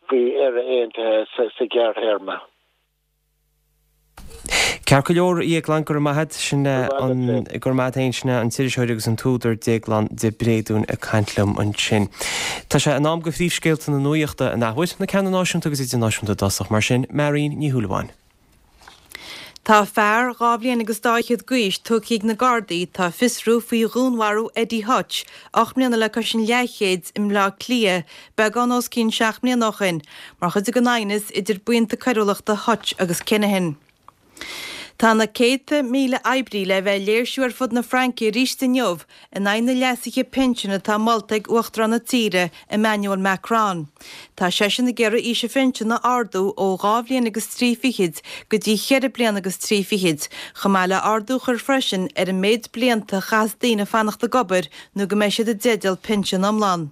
faoi Éire Aontaithe sa ghearrthéarma. Ceart go leor, a Dhéagláin, go raibh maith a't. Sin an, go raibh maith a't fhéin, sin é an t-iriseoir agus an t-údar Déaglán de Bréadún ag caint liom ansin. Tá sé in am do phríomhscéalta na nuachta an athuair, na ceanna náisiúnta agus idirnáisiúnta i dtosach, mar sin, Marion Ní Shúilleabháin. Tá fear 2 bhliain agus dá fhichead d'aois tugtha ag na Gardaí atá ag fiosrú faoi dhúnmharú Eddie Hutch, 8 mbliana le cois an leathchéid, i mBleá Cliath, beagán os cionn 7 mbliana ó shin, mar chuid den aighneas idir buíonta coiriúlachta Hutch agus Kinahan. Tá na céadta míle oibrí le bheith ag léirsiú ar fud na Fraince arís inniu in aghaidh na leasuithe pinsin atá molta ag Uachtarán na tíre, Emmanuel Macron. Tá seisean ag iarraidh aois an phinsin a ardú ó dhá bhliain agus trí fichid go dtí cheithre bliana agus trí fichid, chomh maith le ardú a chur freisin ar an méid blianta a chaithfeas daoine fanacht ag obair nó go mbeidh siad i dteideal pinsean iomlán.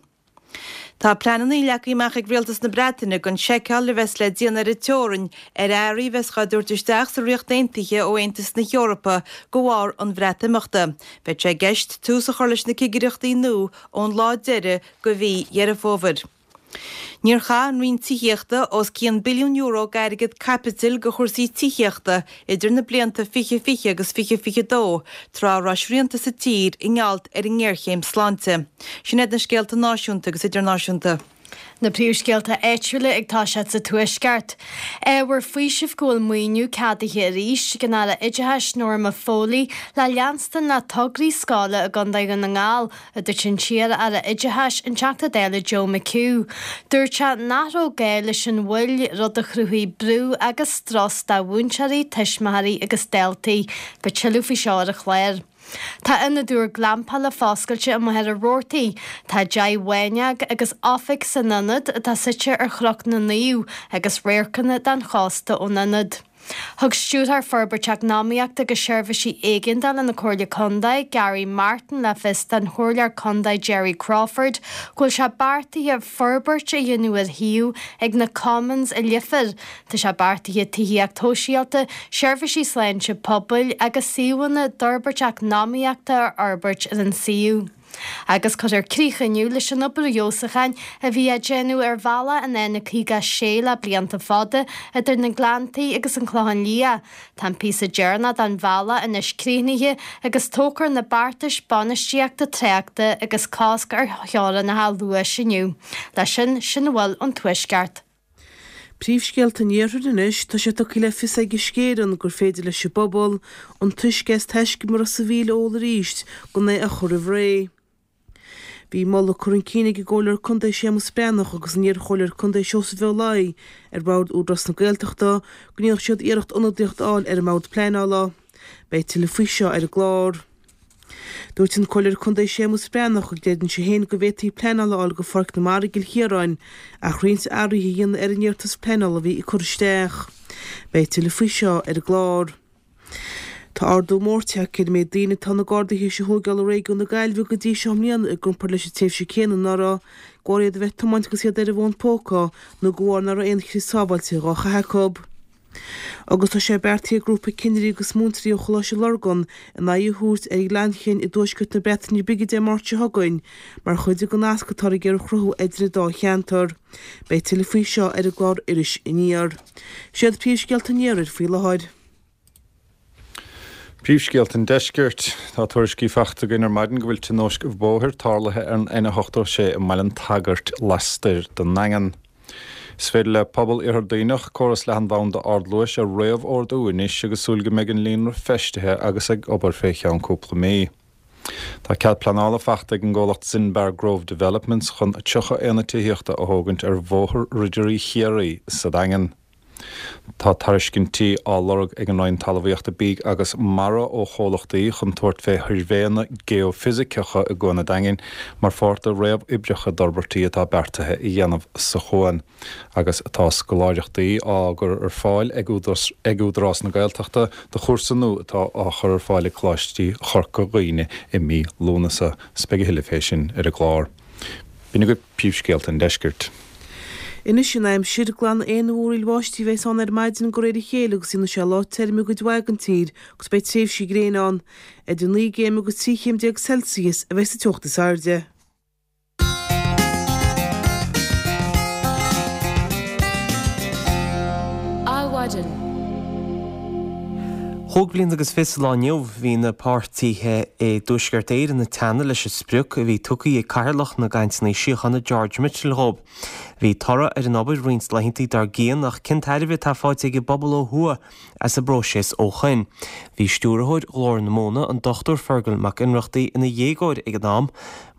Tá pleananna leagtha amach ag Rialtas na Breataine don seiceáil a bheas le déanamh ar an teorainn ar earraí a bheas á dtabhairt isteach sa Ríocht Aontaithe ó Aontas na hEorpa de bharr an Bhreatimeachta. Beidh sé i gceist tús a chur leis na cigireachtaí nua ón lá deiridh de mhí Dheireadh Fómhair. Níor chaith an Roinn Tithíochta os cionn billiún euro d'airgead caipitil do chúrsaí tithíochta idir na blianta 2020 agus 2022, tráth a raibh srianta sa tír i ngeall ar an ngéarchéim sláinte. Sin iad na scéalta náisiúnta agus idirnáisiúnta. Na príomhscéalta áitiúla ag toiseacht sa Tuaisceart. Ábhar faoisimh go bhfuil maoiniú ceadaithe arís ag an Aire Oideachais Norma Foley le leanstan le tograí scoile i gContae Dhún na nGall, a dúirt an t-iar-aire oideachais, an Teachta Dála Joe McHugh. Dúirt sé nach raibh gá leis an mhoill, rud a chruthaigh brú agus strus do mhúinteoirí, tuismitheoirí agus daltaí. Beidh tuilleadh faoi seo ar an chlár. Tá ionad úr glampála foscailte i Machaire Rabhartaigh. Tá deich bhfáinneog agus oifig san ionad atá suite ar Chnoc na Naomh agus radharcanna den chósta ón ionad. Thug Stiúrthóir Forbairt Eacnamaíochta agus Seirbhísí Éigeandála na Comhairle Contae, Gary Martin le fios don Chomhairleoir Contae Jerry Crawford go bhfuil sé beartaithe forbairt a dhéanamh ar shuíomh ag na Commons i Leifear. Tá sé beartaithe tithíocht shóisialta, seirbhísí sláinte pobail agus suíomhanna d'fhorbairt eacnamaíochta a fhorbairt ar an suíomh. Agus cuirfear críoch inniu leis an obair fheabhsúcháin a bhí á déanamh ar bhealach an N56 le blianta fada idir na Gleanntaí agus an Clochán Liath. Tá an píosa deireanach den bhealach anois críochnaithe agus tógfar na beartais bainistíochta tráchta agus cosc ar theorainneacha luais inniu. Leis sin, sin a bhfuil ón Tuaisceart. Príomhscéalta an Iarthair anois, tá sé tugtha le fios ag Uisce Éireann gur féidir leis an bpobal an t-uisce as Taisce Ros a' Mhíl a ól arís gan é a chur roimh ré. Bhí moladh curtha chun cinn ag an gComhairleoir Contae Séamus Breathnach agus an iar-Chomhairleoir Contae Seosamh Ó Laoi ar Bhord Údarás na Gaeltachta go ndéanfadh siad iarracht ionadaíocht a fháil ar an mBord Pleanála. Beidh tuilleadh faoi seo ar an gclár. Dúirt an Comhairleoir Contae Séamus Breathnach go gcreideann sé féin go bhféadfaí pleanáil a fháil go Pháirc na Mara i gCill Chiaráin ach roinnt athruithe a dhéanamh ar an iarratas pleanála a bhí curtha isteach. Beidh tuilleadh faoi seo ar an gclár. Tá ardú mór tagtha ar an méid daoine atá na Gardaí théis a thóigeáil i réigiún na Gaillimhe go dtí seo i mbliana i gcomparáid leis an tréimhse céanna anuraidh, de bharr iad a bheith ag tiomáint agus iad ar an bhfón póca nó de bharr nach raibh aon chrios sábháilte dhá chaitheamh acu. Agus tá sé beartaithe ag grúpa cinnirí agus múinteoirí ó Choláiste Lurgan a n-aghaidh a thabhairt ar Ghleann Chinn i dtuaisceart na Breataine Bige Dé Máirt seo chugainn mar chuid den nasc atáthar ag iarraidh a chruthú idir an dá cheantar. Beidh tuilleadh faoi seo ar an gclár Iris Aniar. Siad príomhscéalta an Iarthair faoi láthair. Príomhscéalta an Deiscirt. Tá tuairiscí faighte againn ar maidin go bhfuil tionóisc bhóthair tarlaithe ar an N86 i mBaile an tSagairt lastoir den nDaingean. Is féidir le pobal Iarthar Duibhneach córas leathanbhanda ardluais a réamhordú anois agus súil go mbeidh an líonra feistithe agus ag obair fé cheann cúpla mí. Tá cead pleanála faighte ag an gcomhlacht Zinbar Grove Developments chun 30 aonad tithíochta a thógaint ar Bhóthar Ridirí Chiarraí sa Daingean. Tá tairiscintí á lorg ag an Roinn Talmhaíochta, Bídh agus Mara ó chomhlachtaí chun tabhairt fé shuirbhéanna geoifisiceacha i gCuan an Daingin mar pháirt de réamhoibreacha d'fhorbairtí atá beartaithe a dhéanamh sa chuan agus tá scoláireachtaí á gcur ar fáil ag Údarás na Gaeltachta do chúrsa nua atá á chur ar fáil ag Coláistí Chorca Dhuibhne i mí Lúnasa. Beidh a thuilleadh fé sin ar an gclár. B'in agaibh príomhscéalta an deiscirt. Anois an aimsir, glanfaidh aon mhúraíl bháistí a bheas ann ar maidin de réir a chéile agus déanfaidh sé lá tirim i gcuid mhaith den tír agus beidh tréimhsí gréine ann. Idir 9 gcéim agus 13 chéim Celsius a bheidh sa teocht is airde. Adhmhaidin. Chúig bliana agus fiche sa lá inniu, bhí na páirtithe i dTuaisceart Éireann ag teannadh leis an sprioc a bhí tugtha ag Cathaoirleach na gCainteanna Síochána George Mitchell dhóibh. Bhí toradh ar an obair roinnt laethanta dár gcionn ach cén tairbhe atá faighte ag an bpobal ó thuaidh as an bpróiseas ó shoin? Bhí stiúrthóir Ghlór na Móna, an Dr Fergal Mac Ionnrachtaigh, ina dhéagóir ag an am.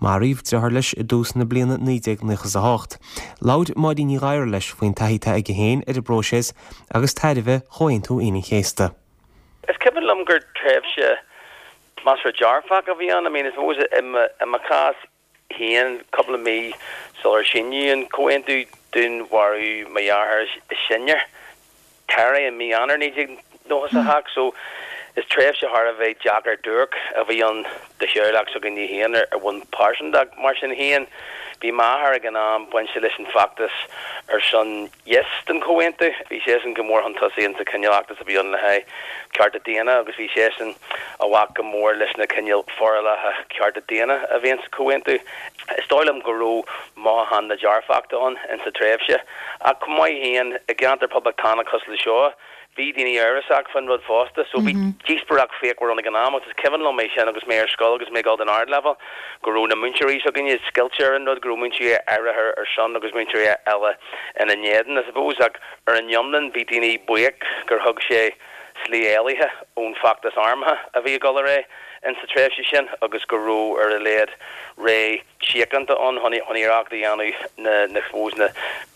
Maraíodh deartháir leis i dtús na bliana 1998. Labhair Máirín Ní Ghadhra leis faoin taithí atá aige féin ar an bpróiseas agus tairbhe Chomhaontú Aoine an Chéasta. Is cuimhin liom gur tréimhse measartha dearfach a bhí ann. I mean, I suppose i mo chás féin, cúpla mí sular síníodh an comhaontú, dúnmharaíodh mo dheartháir is sine, Terry, i mí Eanáir 1998. So, is tréimhse thar a bheith deacair duairc a bhí ann do theaghlach s'againne féin ar bhonn pearsanta. Mar sin féin, bhí m'athair ag an am bainte leis an bhfeachtas ar son Yes don chomhaontú. Bhí seisean go mór chun tosaigh insa chineál fheachtas a bhí ann le haghaidh cearta daonna agus bhí seisean a bhac go mór leis na cineál forálacha cearta daonna a bhí insa chomhaontú. Is dóigh liom go raibh mothúchán na dearfachta ann insa tréimhse. Ach chomh maith féin, i gceantar poblachtánach cosúil le seo, Bhí daoine amhrasach fán rud fosta, so bhí díospóireacht fíochmhar ann ag an am agus is cuimhin liom é sin agus mé ar scoil agus mé ag dul don ardleibhéal, go raibh na múinteoirí s'againne scoilte ar an rud, go raibh múinteoirí áirithe ar son agus múinteoirí eile ina n-éadan, I suppose, ach ar an iomlán bhí daoine buíoch gur thug sé slí éalaithe ón bhfeachtas armtha a bhí ag dul ar aghaidh insa tréimhse sin agus go raibh ar a laghad ré síochánta ann chun iarracht a dhéanamh na na suppose na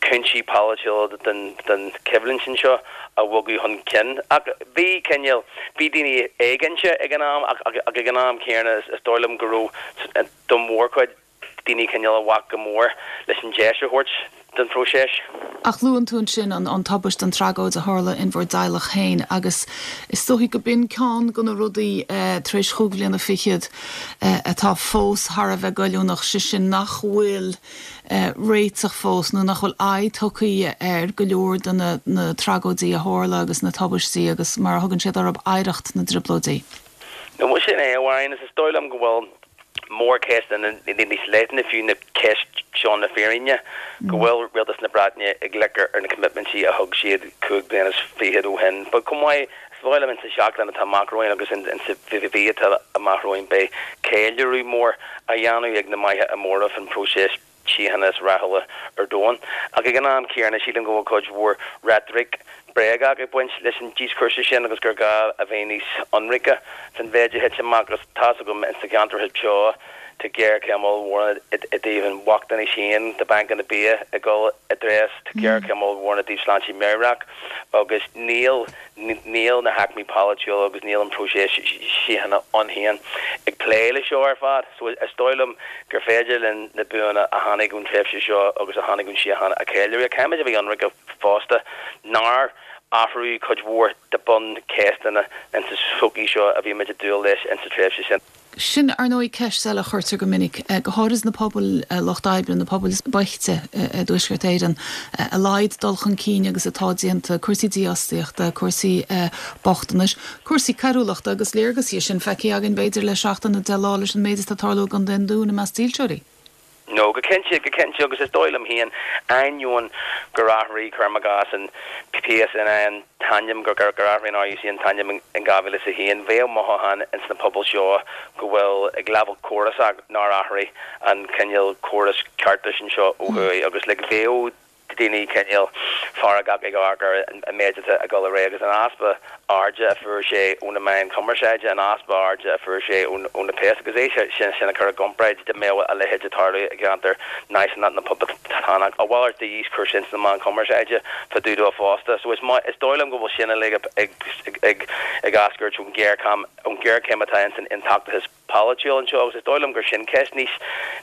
cúinsí polaitiúla den den choimhlint anseo a bhogadh chun cinn. Ach bhí cineál, bhí daoine éiginnte ag an am ach ach ag an am céanna is is dóigh liom go raibh don mhórchuid daoine cineál a bhac go mór leis an deis a thabhairt don phróiseas. Ach luann tú ansin an tubaiste, an tragóid a tharla in bhur dteaghlach féin agus is dóichí go b'in ceann de na rudaí tar éis chúig bhliana fichead atá fós thar a bheith goilliúnach, sé sin nach bhfuil réiteach fós nó nach bhfuil aghaidh tugtha ar go leor de na tragóidí a tharla agus na tubaistí agus mar a thugann siad orthu, oidhreacht na dTrioblóidí. No, sin é, a Mháirín, is dóigh liom go bhfuil. mórcheisteanna níos leithne fiú ná ceist seo na fírinne, go bhfuil Rialtas na Breataine ag loiceadh ar na coimitmintí a thug siad chúig bliana is fichead ó shin. But chomh maith, is dóigh liom insa seachtain atá amach romhainn agus insa mhí atá amach romhainn beidh ceiliúradh mór á dhéanamh ag na maithe móra faoin bpróiseas síochána is rathúla ar domhan. Ach ag an am céanna, sílim go bhfuil cuid mhór reitric bréagach ag baint leis an díoscúrsa sin agus gur gá a bheith níos ionraice faoin mhéid a thit amach agus tá's agam ins na ceantracha seo tá géarchéim ollmhór i dtaobh an bhochtanais féin, tá bancanna bia ag dul i dtreis, tá géarchéim ollmhór i dtaobh sláinte meabhrach agus níl Níl na haicmí polaitiúla agus níl an próiseas síochána ann féin ag plé le seo ar fad. So is dóigh liom gur féidir linn na buanna a tháinig ón tréimhse seo agus a tháinig ón síocháin a cheiliúradh. Caithfimid a bheith ionraice fosta nár athraíodh cuid mhór de buncheisteanna insa tsochaí seo a bhí muid ag dúil leis insa tréimhse sin. Sin, ar ndóigh, ceist eile a chuirtear go minic, go háirid sna pobail lucht oibre, na pobail is boichte i dTuaisceart Éireann, a laghad dul chun cinn agus atá déanta, cúrsaí dífhostaíochta, cúrsaí bochtanais, cúrsaí coiriúlachta agus léargas dhe sin feicthe againn, b'fhéidir, le seachtain nó 10 lá leis an méid atá ag tarlú i gContae an Dúin i measc dílseoirí. No, go cinnte, go cinnte, agus is dóigh liom féin, ainneoin gur athraigh, cuirim i gcás, an PSNI an t-ainm, gur athraigh an RUC an t-ainm in 2001, bheadh mothúchán ins na pobail seo go bhfuil, ag leibhéal córasach, nár athraigh an cineál córas ceartais anseo ó thuaidh agus like bheadh daoine cineál feargach ag amharc ar an méid atá ag dul ar aghaidh agus an easpa airde a fuair sé ó na meáin chumarsáide, an easpa airde a fuair sé ó na péas agus é sin a chur i gcomparáid dá mbeadh a leithéid ag tarlú i gceantar náisiúnach nó poblachtánach. A mhalairt de dhíoscúrsa ins na meáin chumarsáide fá dtaobh dó fosta. So is dóigh liom go bhfuil sin uilig ag eascairt ón ghéarchéim atá ins an aontachtachas polaitiúil anseo agus is dóigh liom gur sin ceist níos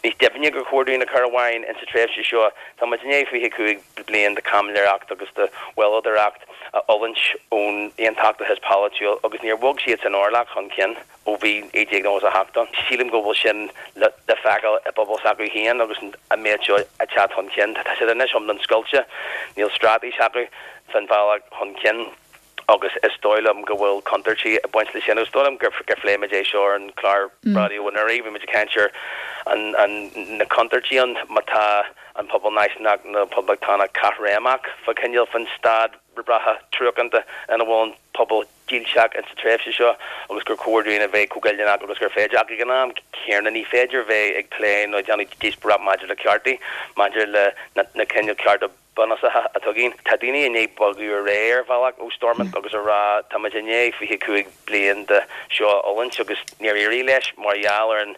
níos doimhne gur chóir dúinn a chur i bhfeidhm insa tréimhse seo. Tá muid i ndiaidh 25 bliain de chaimiléireacht agus de mhoilleadóireacht a fhulaingt ón aontachtachas polaitiúil agus níor bhog siad san orlach chun cinn ó bhí 1998 ann. Sílim go bhfuil sin le feiceáil i bpobal s'acu féin agus an méid seo ag teacht chun cinn. Tá siad anois iomlán scoilte, níl straitéis acu fán bhealach chun cinn. agus is dóigh liom go bhfuil contúirtí ag baint leis sin. Agus is dóigh liom gur phléigh muid é seo ar an chlár raidió anuraidh, bhí muid ag caint ar an na contúirtí ann má tá an pobal náisiúnach nó poblachtánach caithréimeach fá choinneáil faoin staid reatha truacánta ina bhfuil an. pobal dílseach insa tréimhse seo agus gur chóir dúinn a bheith chomh goilliúnach agus gur féidir. Ach ag an am céanna ní féidir bheith ag plé nó ag déanamh díospóireacht maidir le ceartaí, maidir le na cineál cearta bunúsacha atá againn. Tá daoine i ndiaidh bogadh ar aghaidh ar bhealach ó Stormont agus a rá tá muid i ndiaidh 25 bliain de seo a fhulaingt agus níor éirigh leis mar gheall ar an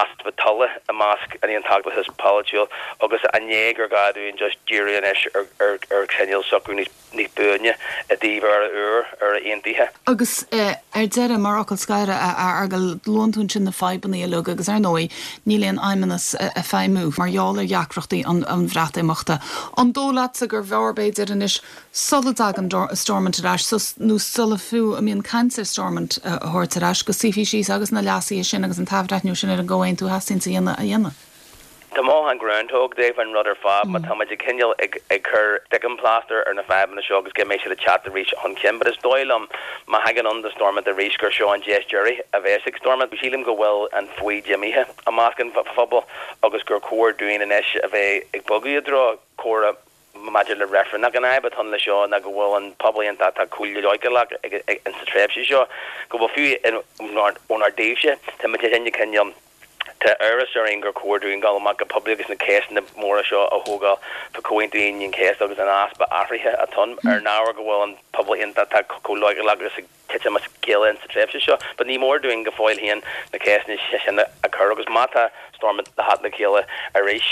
easpa tola i measc an aontachtachais pholaitiúil agus i ndiaidh gur gá dúinn just díriú anois ar chineál socrú níos níos buaine i dtaobh Éire úr, Éire aontaithe. Agus ar deireadh, mar fhocal scoir, a Fheargail, luann tú ansin na fadhbanna uilig agus ar ndóigh níl aon fheidhmeannas ag feidhmiú mar gheall ar dheacrachtaí an Bhreatimeachta. An dóigh leatsa gurbh fhearr b'fhéidir anois sula dtagann Stormont ar ais, nó sula fiú a mbíonn caint ar Stormont a thabhairt ar ais, go suífí síos agus na leasuithe sin agus an t-athbhreithniú sin ar an gcomhaontú a theastaíonns a dhéanamh a dhéanamh? Tá mothúchán Groundhog Day faoin rud ar fad, má tá muid ag cineál ag ag cur sticking plaster ar na fadhbanna seo agus go mbeidh siad ag teacht arís chun cinn. But is dóigh liom, má thagann ann do Stormont arís, gur seo an deis deiridh a bheas ag Stormont. Sílim go bhfuil an foighid imithe i measc an phobail agus gur chóir dúinn anois a bheith ag bogadh i dtreo comhrá maidir le reifreann. Ach an fhadhb atá ann leis seo ná go bhfuil an pobal aontachtach chomh leochaileach insa tréimhse seo go bhfuil fiú ónár dtaobhse, tá muid ag cineál, tá amhras orainn gur chóir dúinn dul amach go poiblí agus na ceisteanna móra seo a thógáil fá Chomhaontú Aoine an Chéasta agus an easpa athraithe atá ann ar an ábhar go bhfuil an pobal aontachtach chomh leochaileach agus ag titim as a chéile insa tréimhse seo. But ní mór dúinn go fóill féin na ceisteanna sin a chur agus má tá Stormont le theacht le chéile arís,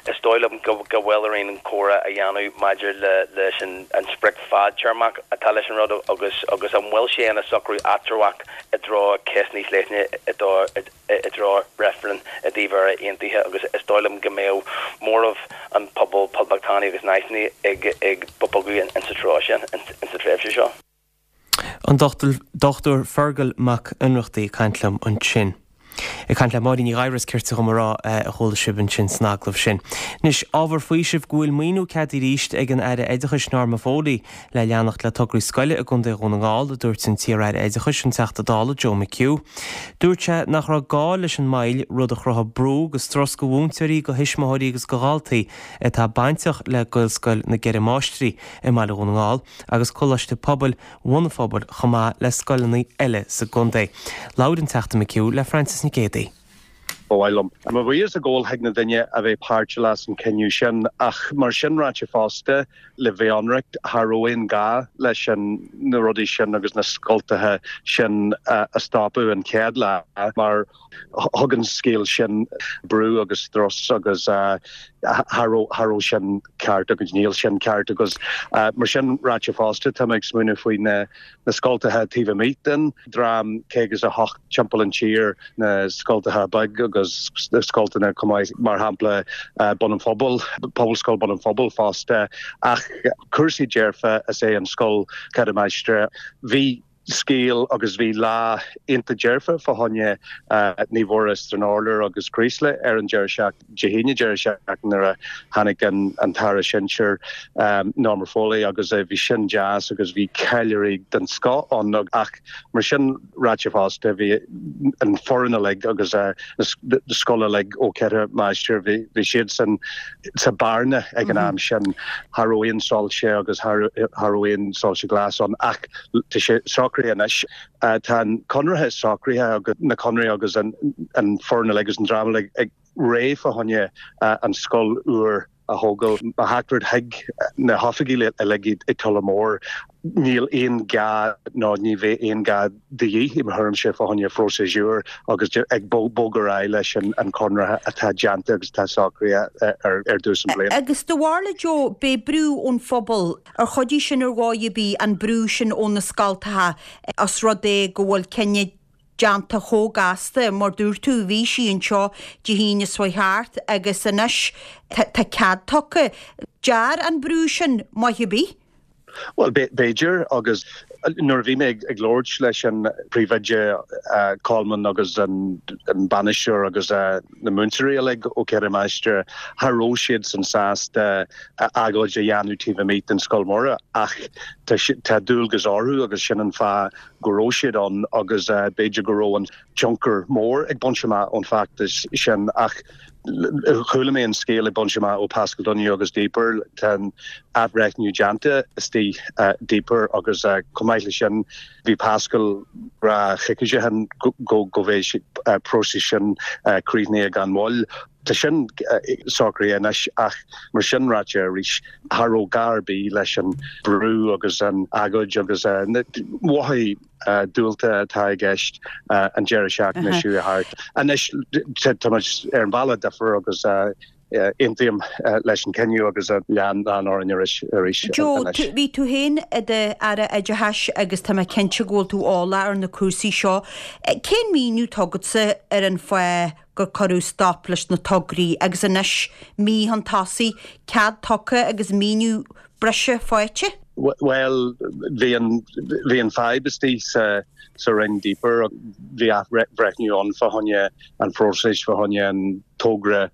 is dóigh liom go bhfuil orainn an comhrá a dhéanamh maidir leis an sprioc fadtéarmach atá leis an rud agus agus an bhfuil sé ina socrú eatramhach i dtreo ceist níos leithne i dtreo reifreann i dtaobh Éire aontaithe agus is dóigh liom go mbeadh móramh an pobal poblachtánaigh agus náisiúnaigh ag bogadh insa treo sin insa tréimhse seo. An Dr Fergal Mac Ionnrachtaigh ag caint liom ansin. Ag caint le Máirín Ní Ghadhra is cirte dhom a rá a chuala sibh ansin san agallamh sin. Anois, ábhar faoisimh go bhfuil maoiniú ceadaithe arís ag an Aire Oideachais Norma Foley le leanacht le tograí scoile i gContae Dhún na nGall, a dúirt an t-iar-Aire Oideachais, an Teachta Dála Joe McHugh. Dúirt sé nach raibh gá leis an moill, rud a chruthaigh brú agus strus go mhúinteoirí, go thuismitheoirí agus go dhaltaí atá bainteach le Gaelscoil na gCeithre Máistrí i mBaile Dhún na nGall. agus Coláiste Pobail Bhun an Phobail chomh maith le scoileanna eile sa gcontae. Labhair an Teachta McHugh le Frances Nic Géadaigh. Ba mhaith liom mo bhuíochas a ghabháil chuig na daoine a bheith páirteach san cinneadh sin ach mar sin ráite fosta le bheith ionraic cha raibh aon gá leis an na rudaí sin agus na scoltacha sin a stopadh an chéad lá mar Thug an scéal sin brú agus strus agus cha raibh sin ceart agus níl sin ceart agus mar sin ráite fosta tá mé ag smaoineamh faoi na scoltacha taobh amuigh den dream 58 timpeall an tír, na scoltacha beag agus na scoltanna chomh maith mar shampla Bun an Phobail, Pobalscoil Bun an Phobail fosta ach cúrsaí dearfa is é an scoil Ceithre Máistrí. Bhí. scéal agus bhí lá iontach dearfa fá choinne Naomh Mhuire Stranorlar agus Creeslough ar an deireadh seachtaine, Dé hAoine deireadh seachtaine nuair a tháinig an tAire Sinsir Norma Foley agus bhí sin deas agus bhí ceiliúradh den scoth ann ach mar sin ráite fosta bhí an foireann uilig agus na scoil uilig ó Ceithre Máistir bhí siadsan sa bearna ag an am sin. Cha raibh aon soilse agus cha raibh aon soilse glas ann ach Tá sé socraithe anois. Tá an conradh socraithe agus na conradh agus an foireann uilig agus an dream uilig ag réidh fá choinne an scoil úr a thógáil. Mo theachtaireacht chuig na hoifigigh uilig i Tullamore, níl aon gá nó ní bheidh aon gá de dhíth i mo thuairimse fá choinne phróiseas úr agus ag bogadh ar aghaidh leis an conradh atá déanta agus atá socraithe ar dtús an bhliain. Agus do bharúil Joe, b'é brú ón phobal Ar chuidigh sin ar dhóigh ar bith, an brú sin ó na scoltacha, os rud é go bhfuil cinneadh déanta chomh gasta, mar dúirt tú, bhí sí anseo Dé hAoine seo chuaigh thart agus anois tá cead tugtha. Dear an brú sin maith ar bith? Bhuel, b'fhéidir, agus nuair a bhí mé ag labhairt leis an príomhoide Coleman agus an bainisteoir agus na múinteoirí uilig ó Ceithre Máistir, cha raibh siadsan sásta agóid a dhéanamh taobh amuigh den Scoil Mhuire ach tá dualgas orthu agus sin an fáth go raibh siad ann agus b'fhéidir go raibh an tionchar mór ag baint amach ón bhfeachtas sin ach. Chuala mé an scéal ag baint amach ó Paschal Donohoe agus Deeper, tá an athbhreithniú déanta istigh Deeper agus chomh maith leis sin bhí Paschal ag rá coicís ó shin go go bheidh próiseas sin críochnaithe gan mhoill. Tá sin socraithe anois ach mar sin ráite arís, cha raibh gá ar bith leis an brú agus an agóid agus na mothaí diúlta atá i gceist an deireadh seachtaine seo chuaigh thart. Anois tá muid ar an bhealach difriúil agus aontaím leis an cinneadh agus lean orainn arís anois. Joe, bhí tú féin i d'Aire Oideachais agus tá mé cinnte go bhfuil tú eolach ar na cúrsaí seo. Cén míniú atá agatsa ar an fáth gur cuireadh stop leis na tograí agus anois, mí chun tosaigh, cead tugtha agus míniú breise faighte? Bhuel, bhí an, bhí an fadhb istigh sa, sa Roinn Deeper, bhí athbhreithniú ann fá choinne an phróisis, fá choinne an togra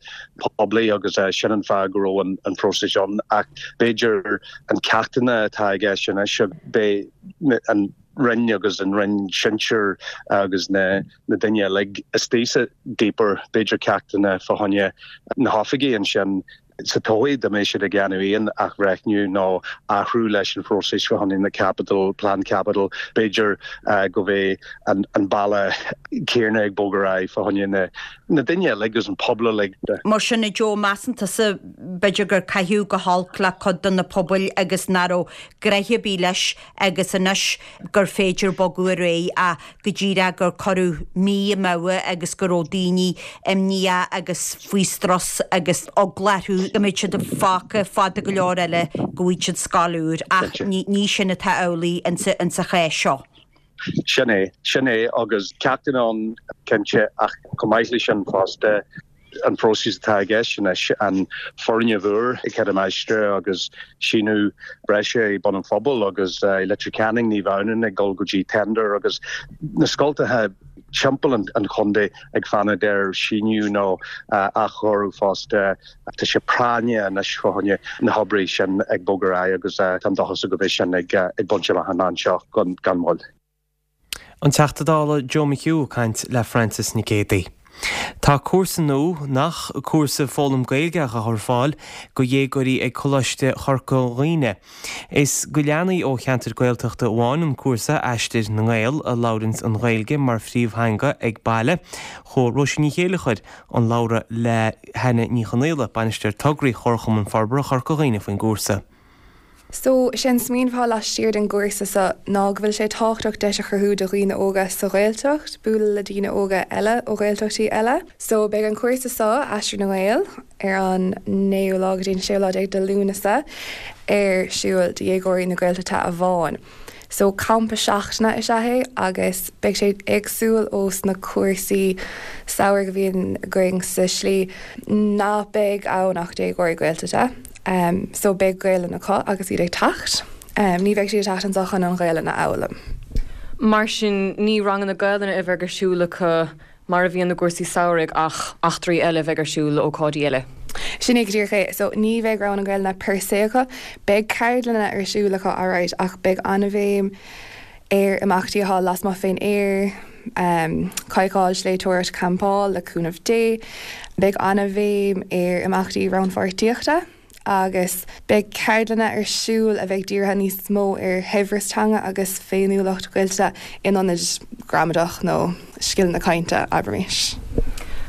poiblí agus sin an fáth go raibh an, an próiseas ann. Ach b'fhéidir an ceachtanna atá i gceist anois, beidh an Roinn agus an Roinn Sinsir agus na, na daoine uilig istigh sa Deeper, b'fhéidir ceachtanna fá choinne na hoifigigh ansin, sa todhchaí dá mbeidh siad ag déanamh aon athbhreithniú nó athrú leis an phróiseas fá choinne na caipitil, plean caipitil, b'fhéidir go mbeidh an bealach céanna ag bogadh ar aghaidh fá choinne na na daoine uilig agus an pobal uilig. Mar sin, a Joe, measann tusa b'fhéidir gur caitheadh go holc le cuid de na pobail agus nach raibh gnoithe ar bith leis agus anois gur féidir bogadh ar aghaidh ach go díreach gur cuireadh mí amú agus go raibh daoine imníoch agus faoi strus agus eagla orthu go mbeadh siad fágtha fada go leor eile go bhfaighidh siad scoil úr ach ní sin atá amhlaidh insa chás seo. Sin é, sin é agus ceachtanna ann cinnte ach chomh maith leis sin fosta, an próiseas atá i gceist anois, an foirgneamh úr ag Cill na Máistre agus síneadh breise i Bun an Phobail agus i Leitir Ceanainn, Naomh Adhamhnáin ag dul go dtí tender agus na scoltacha timpeall an chontae ag fanacht ar síneadh nó athchóiriú fosta. Tá sé práinneach anois fá choinne na hoibrí sin ag bogadh ar aghaidh agus táim dóchasach go mbeidh sin ag baint amach an anseo gan mhoill. An Teachta Dála Joe McHugh ag caint le Frances Nic Géadaigh. Tá cúrsa nua, nach cúrsa foghlaim Gaeilge á chur ar fáil go dhéagóirí ag Coláiste Chorca Dhuibhne. Is go leanaí ó cheantair Gaeltachta amháin an cúrsa, Aistear na nGael, a labhranns an Ghaeilge mar phríomhtheanga ag baile. Chuaigh Róisín Ní Chéilleachair chun labhra le hAnna Ní Chonaola, Bainisteoir Tograí Chomharchumann Forbartha Chorca Dhuibhne faoin gcúrsa. So, sé an smaoineamh atá laistiar den gcúrsa seo ná go bhfuil sé tábhachtach deis a chruthú do dhaoine óga sa Ghaeltacht bualadh le daoine óga eile ó Ghaeltachtaí eile. So, beidh an cúrsa seo, Aistear na nGael, ar an naoú lá go dtí an séú lá déag de Lúnasa ar siúl do dhéagóirí na Gaeltachta amháin. So, campa seachtaine is ea é agus beidh sé éagsúil ós na cúrsaí samhraidh a bhíonn againn sa slí ná beidh ann ach déagóirí Gaeltachta. So, beidh Gaelainn acu agus iad ag teacht. Ní bheidh siad ag teacht anseo chun an Ghaelainn a fhoghlaim. Mar sin, ní ranganna Gaelainne a bheidh ar siúl acu mar a bhíonn i gcúrsaí samhraidh ach eachtraí eile a bheidh ar siúl, ócáidí eile. Sin é go díreach é. So, ní bheidh ranganna Gaelainne per se acu. Beidh ceardlanna ar siúl acu alright ach beidh an-bhéim ar imeachtaí atá lasmuigh fén aer, cadhcáil, sléibhteoireacht, campáil, le cúnamh Dé. Beidh an-bhéim ar imeachtaí rannpháirtíochta agus beidh ceardlanna ar siúl a bheidh dírithe níos mó ar shaibhreas teanga agus féiniúlacht Ghaeltachta in ionad gramadach nó scileanna cainte, abraimis.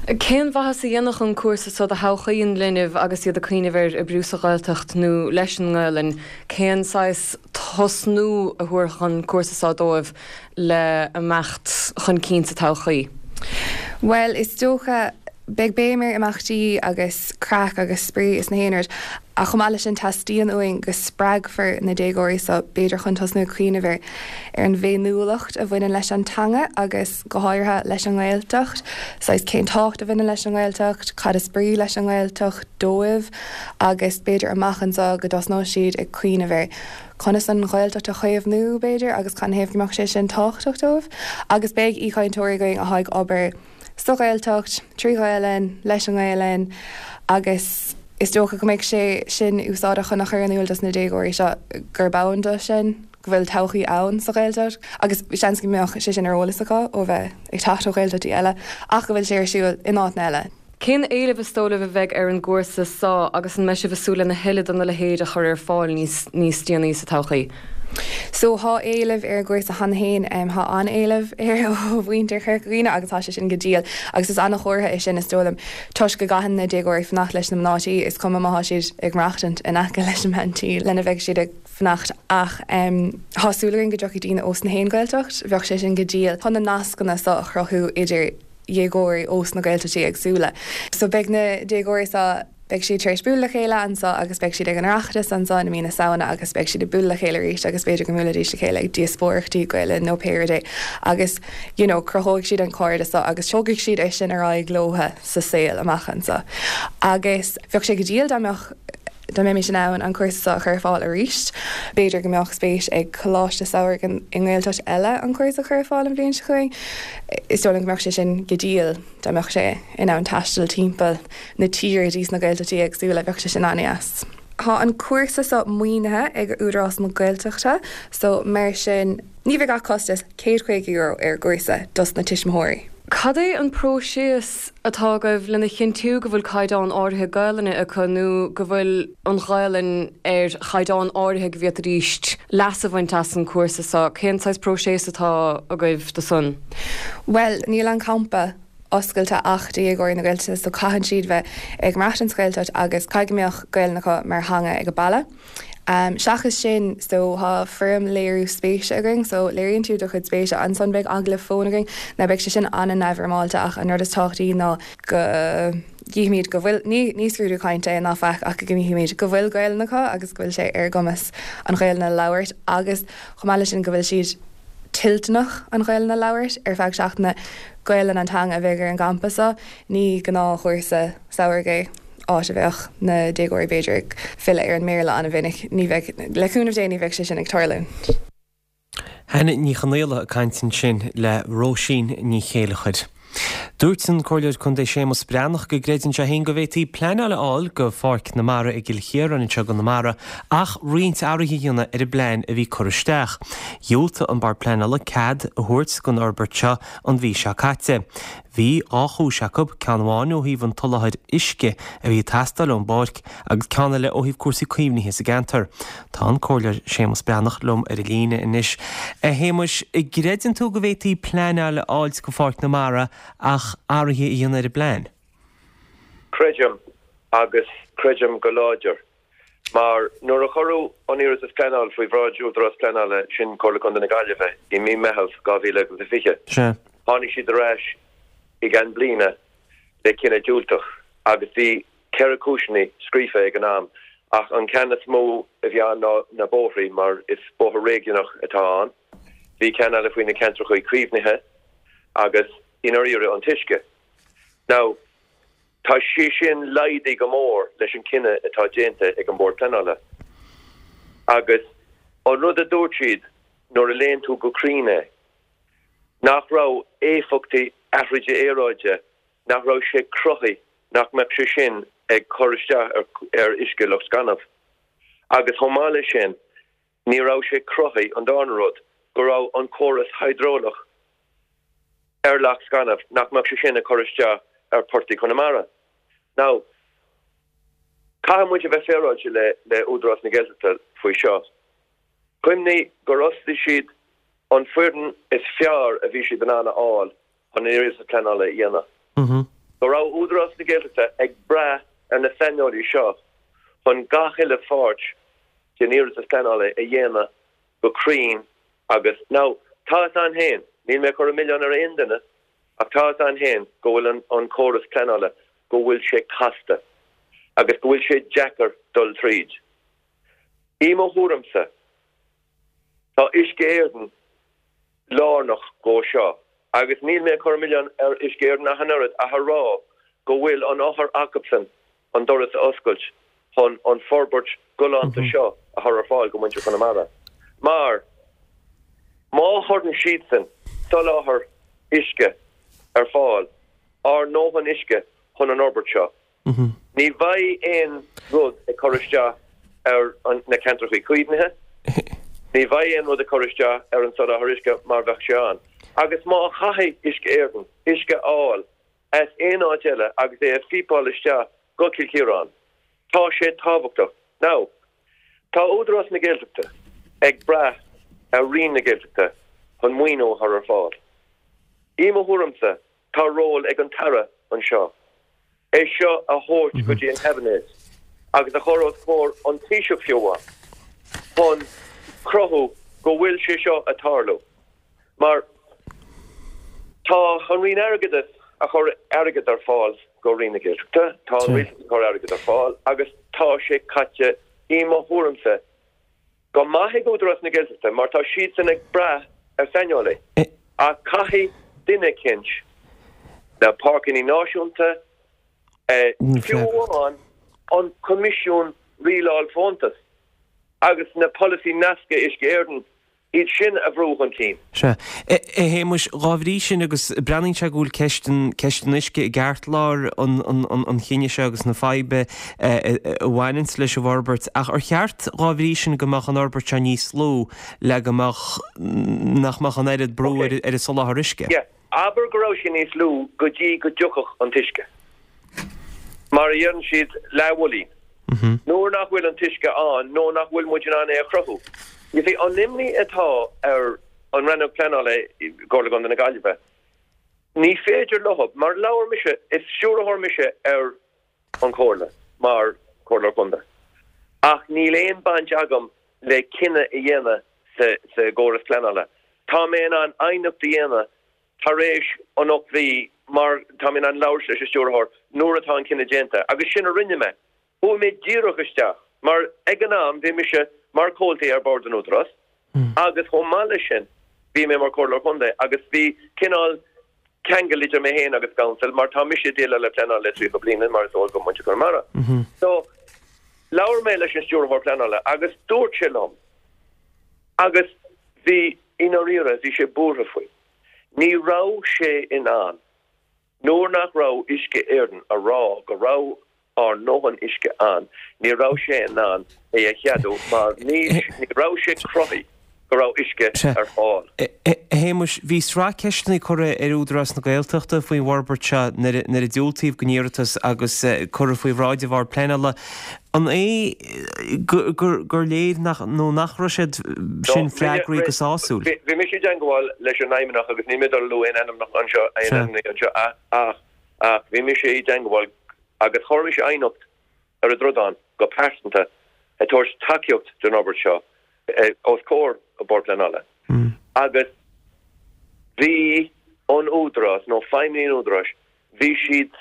Cén mhaitheas a dhéanfadh an cúrsa seo do thodhchaí an linbh agus iad ag cuimhneamh ar oibriú sa Ghaeltacht nó leis an nGaelainn? Cén saghas tosnú a thabharfadh an cúrsa seo dóibh le imeacht chun cinn sa todhchaí? Bhuel, is dócha, beidh béim ar imeachtaí agus craic agus spraoi is na haon rud, ach chomh maith leis sin teastaíonn uainn go spreagfar na déagóirí seo b'fhéidir chun tosnú ag cuimhneamh ar ar an bhféiniúlacht a bhaineann leis an teanga agus go háirithe leis an nGaeltacht, saghas cén tábhacht a bhaineann leis an nGaeltacht, cad is brí leis an nGaeltacht dóibh agus b'fhéidir amach anseo go dtosnóidh siad ag cuimhneamh ar conas an Ghaeltacht a chaomhnú, b'fhéidir, agus canathaobh go mbeadh sé sin tábhachtach dóibh. Agus beidh aoichainteoirí againn atá ag obair sa Ghaeltacht, trí Ghaelainn, leis an nGaelainn agus is dócha go mbeidh sé sin úsáideach chun a chur in iúl dos na déagóirí seo gurb ann do sin, go bhfuil todhchaí ann sa Ghaeltacht agus seans go mbeadh sé sin ar eolas acu ó bheith ag teacht ó Ghaeltachtaí eile ach go bhfuil sé ar siúl in áiteanna eile. Cén éileamh is dóigh libh a bheidh ar an gcúrsa so agus an mbeidh sibh ag súil lena thuilleadh de na leithéid a chur ar fáil níos níos déanaí sa todhchaí? So thá éileamh ar an gcúrsa cheana féin, thá an-éileamh air ó mhuintir Chorca Dhuibhne agus thá sé sin go diail agus is an-chomhartha é sin is dóigh liom toisc go gcaitheann na déagóirí fanacht leis na mná tí, is cuma má thá siad ag maireachtaint in aice leis an mbean tí lena mbeidh siad ag fanacht ach thá súil againn go dtiocfaidh daoine ós na haon Ghaeltacht, bheadh sé sin go diail chun na nascanna so a chruthú idir dhéagóirí ós na Gaeltachtaí éagsúla. So beidh na déagóirí so, beidh siad tar éis bualadh le chéile anso agus beidh siad ag an Oireachtas anso i mí na Samhna agus beidh siad ag bualadh le chéile arís agus b'fhéidir go mbuailfidís le chéile ag díospóireachtaí Gaelainne nó pé rud é agus you know cruthóidh siad an cairdeas so agus tógfaidh siad é sin ar aghaidh leotha sa saol amach anso. Agus bheadh sé go diail dá mbeadh dá mbeimis in ann an cúrsa seo a chur ar fáil arís. B'fhéidir go mbeadh spéis ag coláiste samhraidh i nGaeltacht eile an cúrsa a chur ar fáil an bhliain seo chugainn. Is dóigh liom go mbeadh sé sin go diail dá mbeadh sé in ann taisteal timpeall na tíre dtí sna Gaeltachtaí éagsúla, bheadh sé sin an-dheas. Tá an cúrsa seo maoinithe ag Údarás na Gaeltachta so mar sin ní bheidh ach costas €150 ar an gcúrsa dos na tuismitheoirí. Cad é an próiseas atá agaibh lena chinntiú go bhfuil caighdeán áirithe Gaelainne acu nó go bhfuil an Ghaelainn ar chaighdeán áirithe go bhféadfaidís leas a bhaint as an cúrsa seo? Cén saghas próiseas atá agaibh do san? Bhuel, níl an campa oscailte ach do dhéagóirí na Gaeltachta so caitheann siad bheith ag maireachtaint sa Ghaeltacht agus caithfidh go mbeadh Gaelainn acu mar theanga ag an baile. Seachas sin, so thá foirm léiriú spéise againn, so léiríonn tú do chuid spéise, ansan beidh agallamh fóin againn, now beidh sé sin an-neamhfhoirmeálta ach an rud is tábhachtaí ná go gcífimid go bhfuil, ní, ní scrúdú cainte é ná faic ach go gcífimid go bhfuil Gaelainn acu agus go bhfuil sé ar a gcumas an Ghaelainn a labhairt agus chomh maith leis sin go bhfuil siad toilteanach an Ghaelainn a labhairt ar feadh seachtaine. Gaelainn an teanga a bheidh ar an gcampa so, ní gnáthchúrsa samhraidh é. áit a bheadh na déagóirí b'fhéidir ag filleadh ar an mBéarla an-mhinic. Ní bheidh, le cúnamh Dé, ní bheidh sé sin ag tarlúint. Hannah Ní Chonaola ag caint ansin le Róisín Ní Chéilleachair. Dúirt an Comhairleoir Contae Séamus Breathnach go gcreideann sé féin go bhféadfaí pleanáil a fháil go Pháirc na Mara i gCill Chiaráin anseo i gConamara ach roinnt athruithe a dhéanamh ar an bplean a bhí curtha isteach. Dhiúltaigh an Bord Pleanála cead a thabhairt don fhorbairt seo an mhí seo caite. Bhí dhá chúis acu, ceann amháin ó thaobh an tsoláthair uisce a bhí ag teastáil ón bpáirc agus ceann eile ó thaobh cúrsaí caomhnaithe sa gceantar. Tá an Comhairleoir Séamus Breathnach liom ar an líne anois. A Shéamuis, an gcreideann tú go bhféadfaí pleanáil a fháilt go Pháirc na Mara ach athruithe a dhéanamh ar an bplean? Creidim, agus creidim go láidir. Mar nuair a cuireadh an iarratas pleanála faoi bhráid Údarás Pleanála, sin Comhairle Contae na Gaillimhe, i mí Meitheamh 2020, tháinig siad ar ais i gceann bliana le cinneadh diúltach agus bhí 4 cúiseanna scríofa ag an am ach an ceann is mó a bhí ann ná na bóithrí mar is bóthar réigiúnach atá ann. Bhí ceann eile faoi na ceantracha caomhnaithe agus i ndáiríre an t-uisce. Now. Tá sé sin laghdaithe go mór leis an cinneadh atá déanta ag an Bord Pleanála. Agus an rud a dúirt siad nuair a léann tú go cruinn é, nach raibh éifeachtaí athraithe aeráide, nach raibh sé cruthaithe nach mbeadh sé sin ag cur isteach ar uisce Loch Scainnimh. Agus chomh maith leis sin, Ní raibh sé cruthaithe, an darna rud, go raibh an córas hiodrálach ar Loch Scainnimh, nach mbeadh sé sin ag cur isteach ar portaigh Chonamara. Now, caithfidh muid a bheith féaráilte le le Údarás na Gaeltachta faoi seo. Cuimhnigh gur fhostaigh siad an foireann is fearr a bhí siad in ann a fháil chun an iarratas pleanála a dhéanamh. Go raibh Údarás na Gaeltachta ag brath ar na saineolaí seo chun gach uile pháirt den iarratas pleanála a dhéanamh go cruinn agus, now, tá fhios a'inn féin, níl mé ag cur an milleán ar aon duine, ach tá fhios a'inn féin go bhfuil an an córas pleanála, go bhfuil sé casta agus go bhfuil sé deacair dul tríd. I mo thuairimse, tá Uisce Éireann lárnach dhó seo agus níl mé ag cur an milleán ar Uisce Éireann ach an oiread ach a rá go bhfuil an eochair acubsan an doras a oscailt chun an forbairt galánta seo a chur ar fáil go muintir Chonamara. Mar má chuireann siadsan soláthar uisce ar fáil, ár ndóthain uisce chun an fhorbairt seo, Ní bheidh aon rud ag cur isteach ar na ceantracha caomhnaithe, ní bheidh aon rud ag cur isteach ar an soláthar uisce mar bheadh sé ann. Agus má chaithfidh Uisce Éireann uisce a fháil as aon áit eile agus é a phípeáil isteach go Cill Chiaráin. Tá sé tábhachtach. Now, tá Údarás na Gaeltachta ag brath ar Roinn na Gaeltachta chun maoiniú a chur ar fáil. I mo thuairimse, tá ról ag an tAire anseo é seo a thabhairt go dtí an Cabinet agus a chur os comhair an Taoiseach fiú amháin chun cruthú go bhfuil sé seo ag tarlú. Mar tá an Roinn Airgeadais a chur airgead ar fáil go Roinn na Gaeltachta, tá an Rialtas ag cur airgead ar fáil agus tá sé caite, i mo thuairimse, go maith ag Údarás na Gaeltachta mar tá siadsan ag brath ar saineolaí. Ach caithfidh duine eicínt, na páirceanna náisiúnta, fiú amháin an Coimisiún Rialáil Fóntas agus na polasaí nasctha Uisce Éireann, iad sin a bhrú chun cinn. Sea. A Shéamuis, dhá bhrí sin, agus breathnaíonn sé go bhfuil ceist an, ceist an uisce i gceartlár an, an, an chinnidh seo agus na faidhbe a bhaineanns leis an bhforbairt, ach ar cheart dhá bhrí sin go mbeadh an fhorbairt seo níos lú le go mbeadh, nach mbeadh an oiread brú ar, ar an soláthar uisce? Yeah. Abair go raibh sé níos lú go dtí go dtiocfadh an t-uisce. Mar a dheireann siad, leathbhuilín. Nuair nach bhfuil an t-uisce ann nó nach bhfuil muid in ann é a chruthú. You see, an imní atá ar an Rannóg Pleanála i gComhairle Contae na Gaillimhe, ní féidir leo, mar labhair mise, is stiúrthóir mise ar an Chomhairle mar Chomhairleoir Contae ach níl aon baint agam le cinneadh a dhéanamh sa gcóras pleanála. Tá mé in ann aighneacht a dhéanamh tar éis an 8 mhí mar tá mé in ann labhairt leis an stiúrthóir nuair atá an cinneadh déanta agus sin a rinne mé. Chuaigh mé díreach isteach mar ag an am bhí mise mar chomhalta ar Bhord an Údarás agus chomh maith leis sin bhí mé mar Chomhairleoir Contae agus bhí cineál ceangal idir mé féin agus an council mar tá mise ag déileáil le pleanáil le 30 bliain mar is eol do mhuintir Chonamara. So labhair mé leis an stiúrthóir pleanála agus dúirt sé liom agus bhí i ndáiríre bhí sé buartha faoi. Ní raibh sé in ann nuair nach raibh Uisce Éireann a rá go raibh ár ndóthain uisce ann, ní raibh sé in ann é a cheadú mar ní raibh sé cruthaithe go raibh uisce ar fáil. A Shéamuis, bhí sraith ceisteanna curtha ar Údarás na Gaeltachta faoin bhforbairt seo nuair a diúltaíodh don iarratas agus curtha faoi bhráid an Bhoird Pleanála. An é gur léir nach nó nach raibh siad sin freagraithe go sásúil? Bhí mise i dteangmháil leis an fheidhmeannach agus níl mé ag dul a lua aon ainmneacha anseo, aon ainmneacha anseo ach ach bhí mise i dteangmháil agus chuir mise aighneacht ar an dtrodán go pearsanta ag tabhairt tacaíocht don fhorbairt seo os comhair an Bord Pleanála agus bhí an Údarás nó feidhmeannaigh an Údaráis, bhí siad,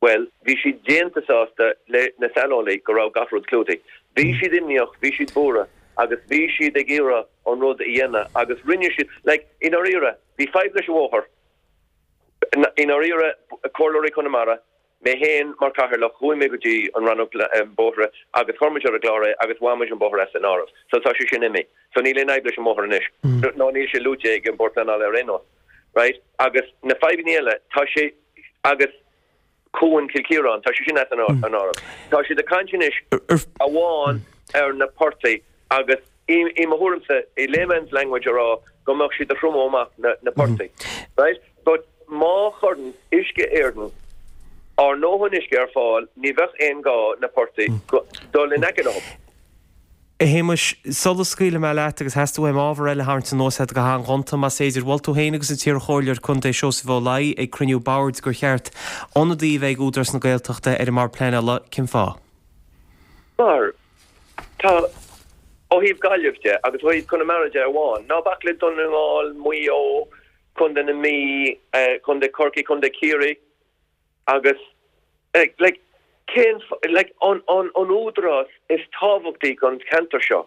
bhuel, bhí siad déanta sásta le na saineolaí go raibh gach rud clúdaithe. Bhí siad imníoch, bhí siad buartha agus bhí siad ag iarraidh an rud a dhéanamh agus rinne siad, like, i ndáiríre, bhí fadhb leis an bhóthar, I ndáiríre, Comhairleoirí Chonamara, mé féin mar chathaoirleach, chuaigh mé go dtí an rannóg bóithre agus chuir muid ar an gclár é agus bhain muid an bóthar as an áireamh. So tá sé sin imithe. So níl aon fhadhb leis an mbóthar anois. Nó níl sé luaite ag an Bord Pleanála ar aon nós. Right? Agus na fadhbanna eile, tá sé, agus Cuan Chill Chiaráin, tá sé sin as an áireamh. Tá siad ag caint anois amháin ar na portaigh agus i mo thuairimse, i layman's language a rá go mbeadh siad ag triomú amach na portaigh. Right? But má chuireann Uisce Éireann ár ndóthain uisce ar fáil ní bheadh aon gá na portaigh dul in aice leo. A Shéamais, sula scaoilfidh mé leat, agus theastaigh uaim ábhar eile a tharraingt anuas agat go han-ghonta, más féidir, mhol tú féin agus an t-iarchomhairleoir contae Seosamh Ó Laoi ag cruinniú boird gur cheart ionadaí a bheith ag Údarás na Gaeltachta ar an mBord Pleanála. Cén fáth? Mar, tá, ó thaobh Gaillimh de agus ó thaobh Conamara de amháin, ná bac le Dún na nGall, Maigh Eo, Contae na Mí, Contae Chorcaí, Contae Chiarraí, Agus, like, cén, like, an, an, an údarás is tábhachtaí don cheantar seo,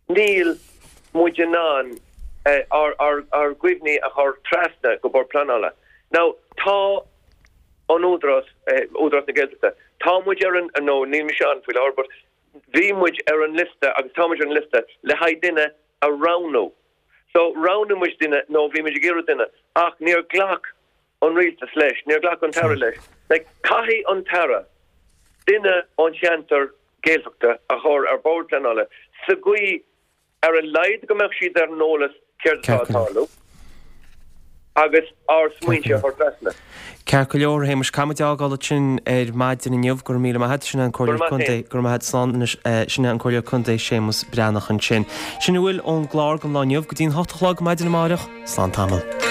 níl muid in ann ár, ár, ár gcuimhní a chur trasna go Bord Pleanála. Now, tá an údarás, Údarás na Gaeltachta, tá muid ar an, nó níl mise ann faoi láthair, but bhí muid ar an liosta agus tá muid ar an liosta le haghaidh duine a roghnú. So, roghnaigh muid duine, nó bhí muid ag iarraidh duine, ach níor ghlac an rialtas leis, níor ghlac an tAire leis. Like, caithfidh an tAire duine ón cheantar Gaeltachta a chur ar Bhord Pleanála sa gcaoi ar a laghad go mbeadh siad ar an eolas céard atá ag tarlú. Agus ár smaointe a chur trasna. Ceart go leor, a Shéamais, caithfidh muid é a fhágáil ansin ar maidin inniu. Go raibh míle maith agat. Sin é an Comhairleoir Contae. Go raibh maith agat. Slán anois. Sin é an Comhairleoir Contae Séamus Breathnach ansin. Sin a bhfuil ón gclár don lá inniu. Go dtí an hocht a chlog maidin amárach. Slán tamall.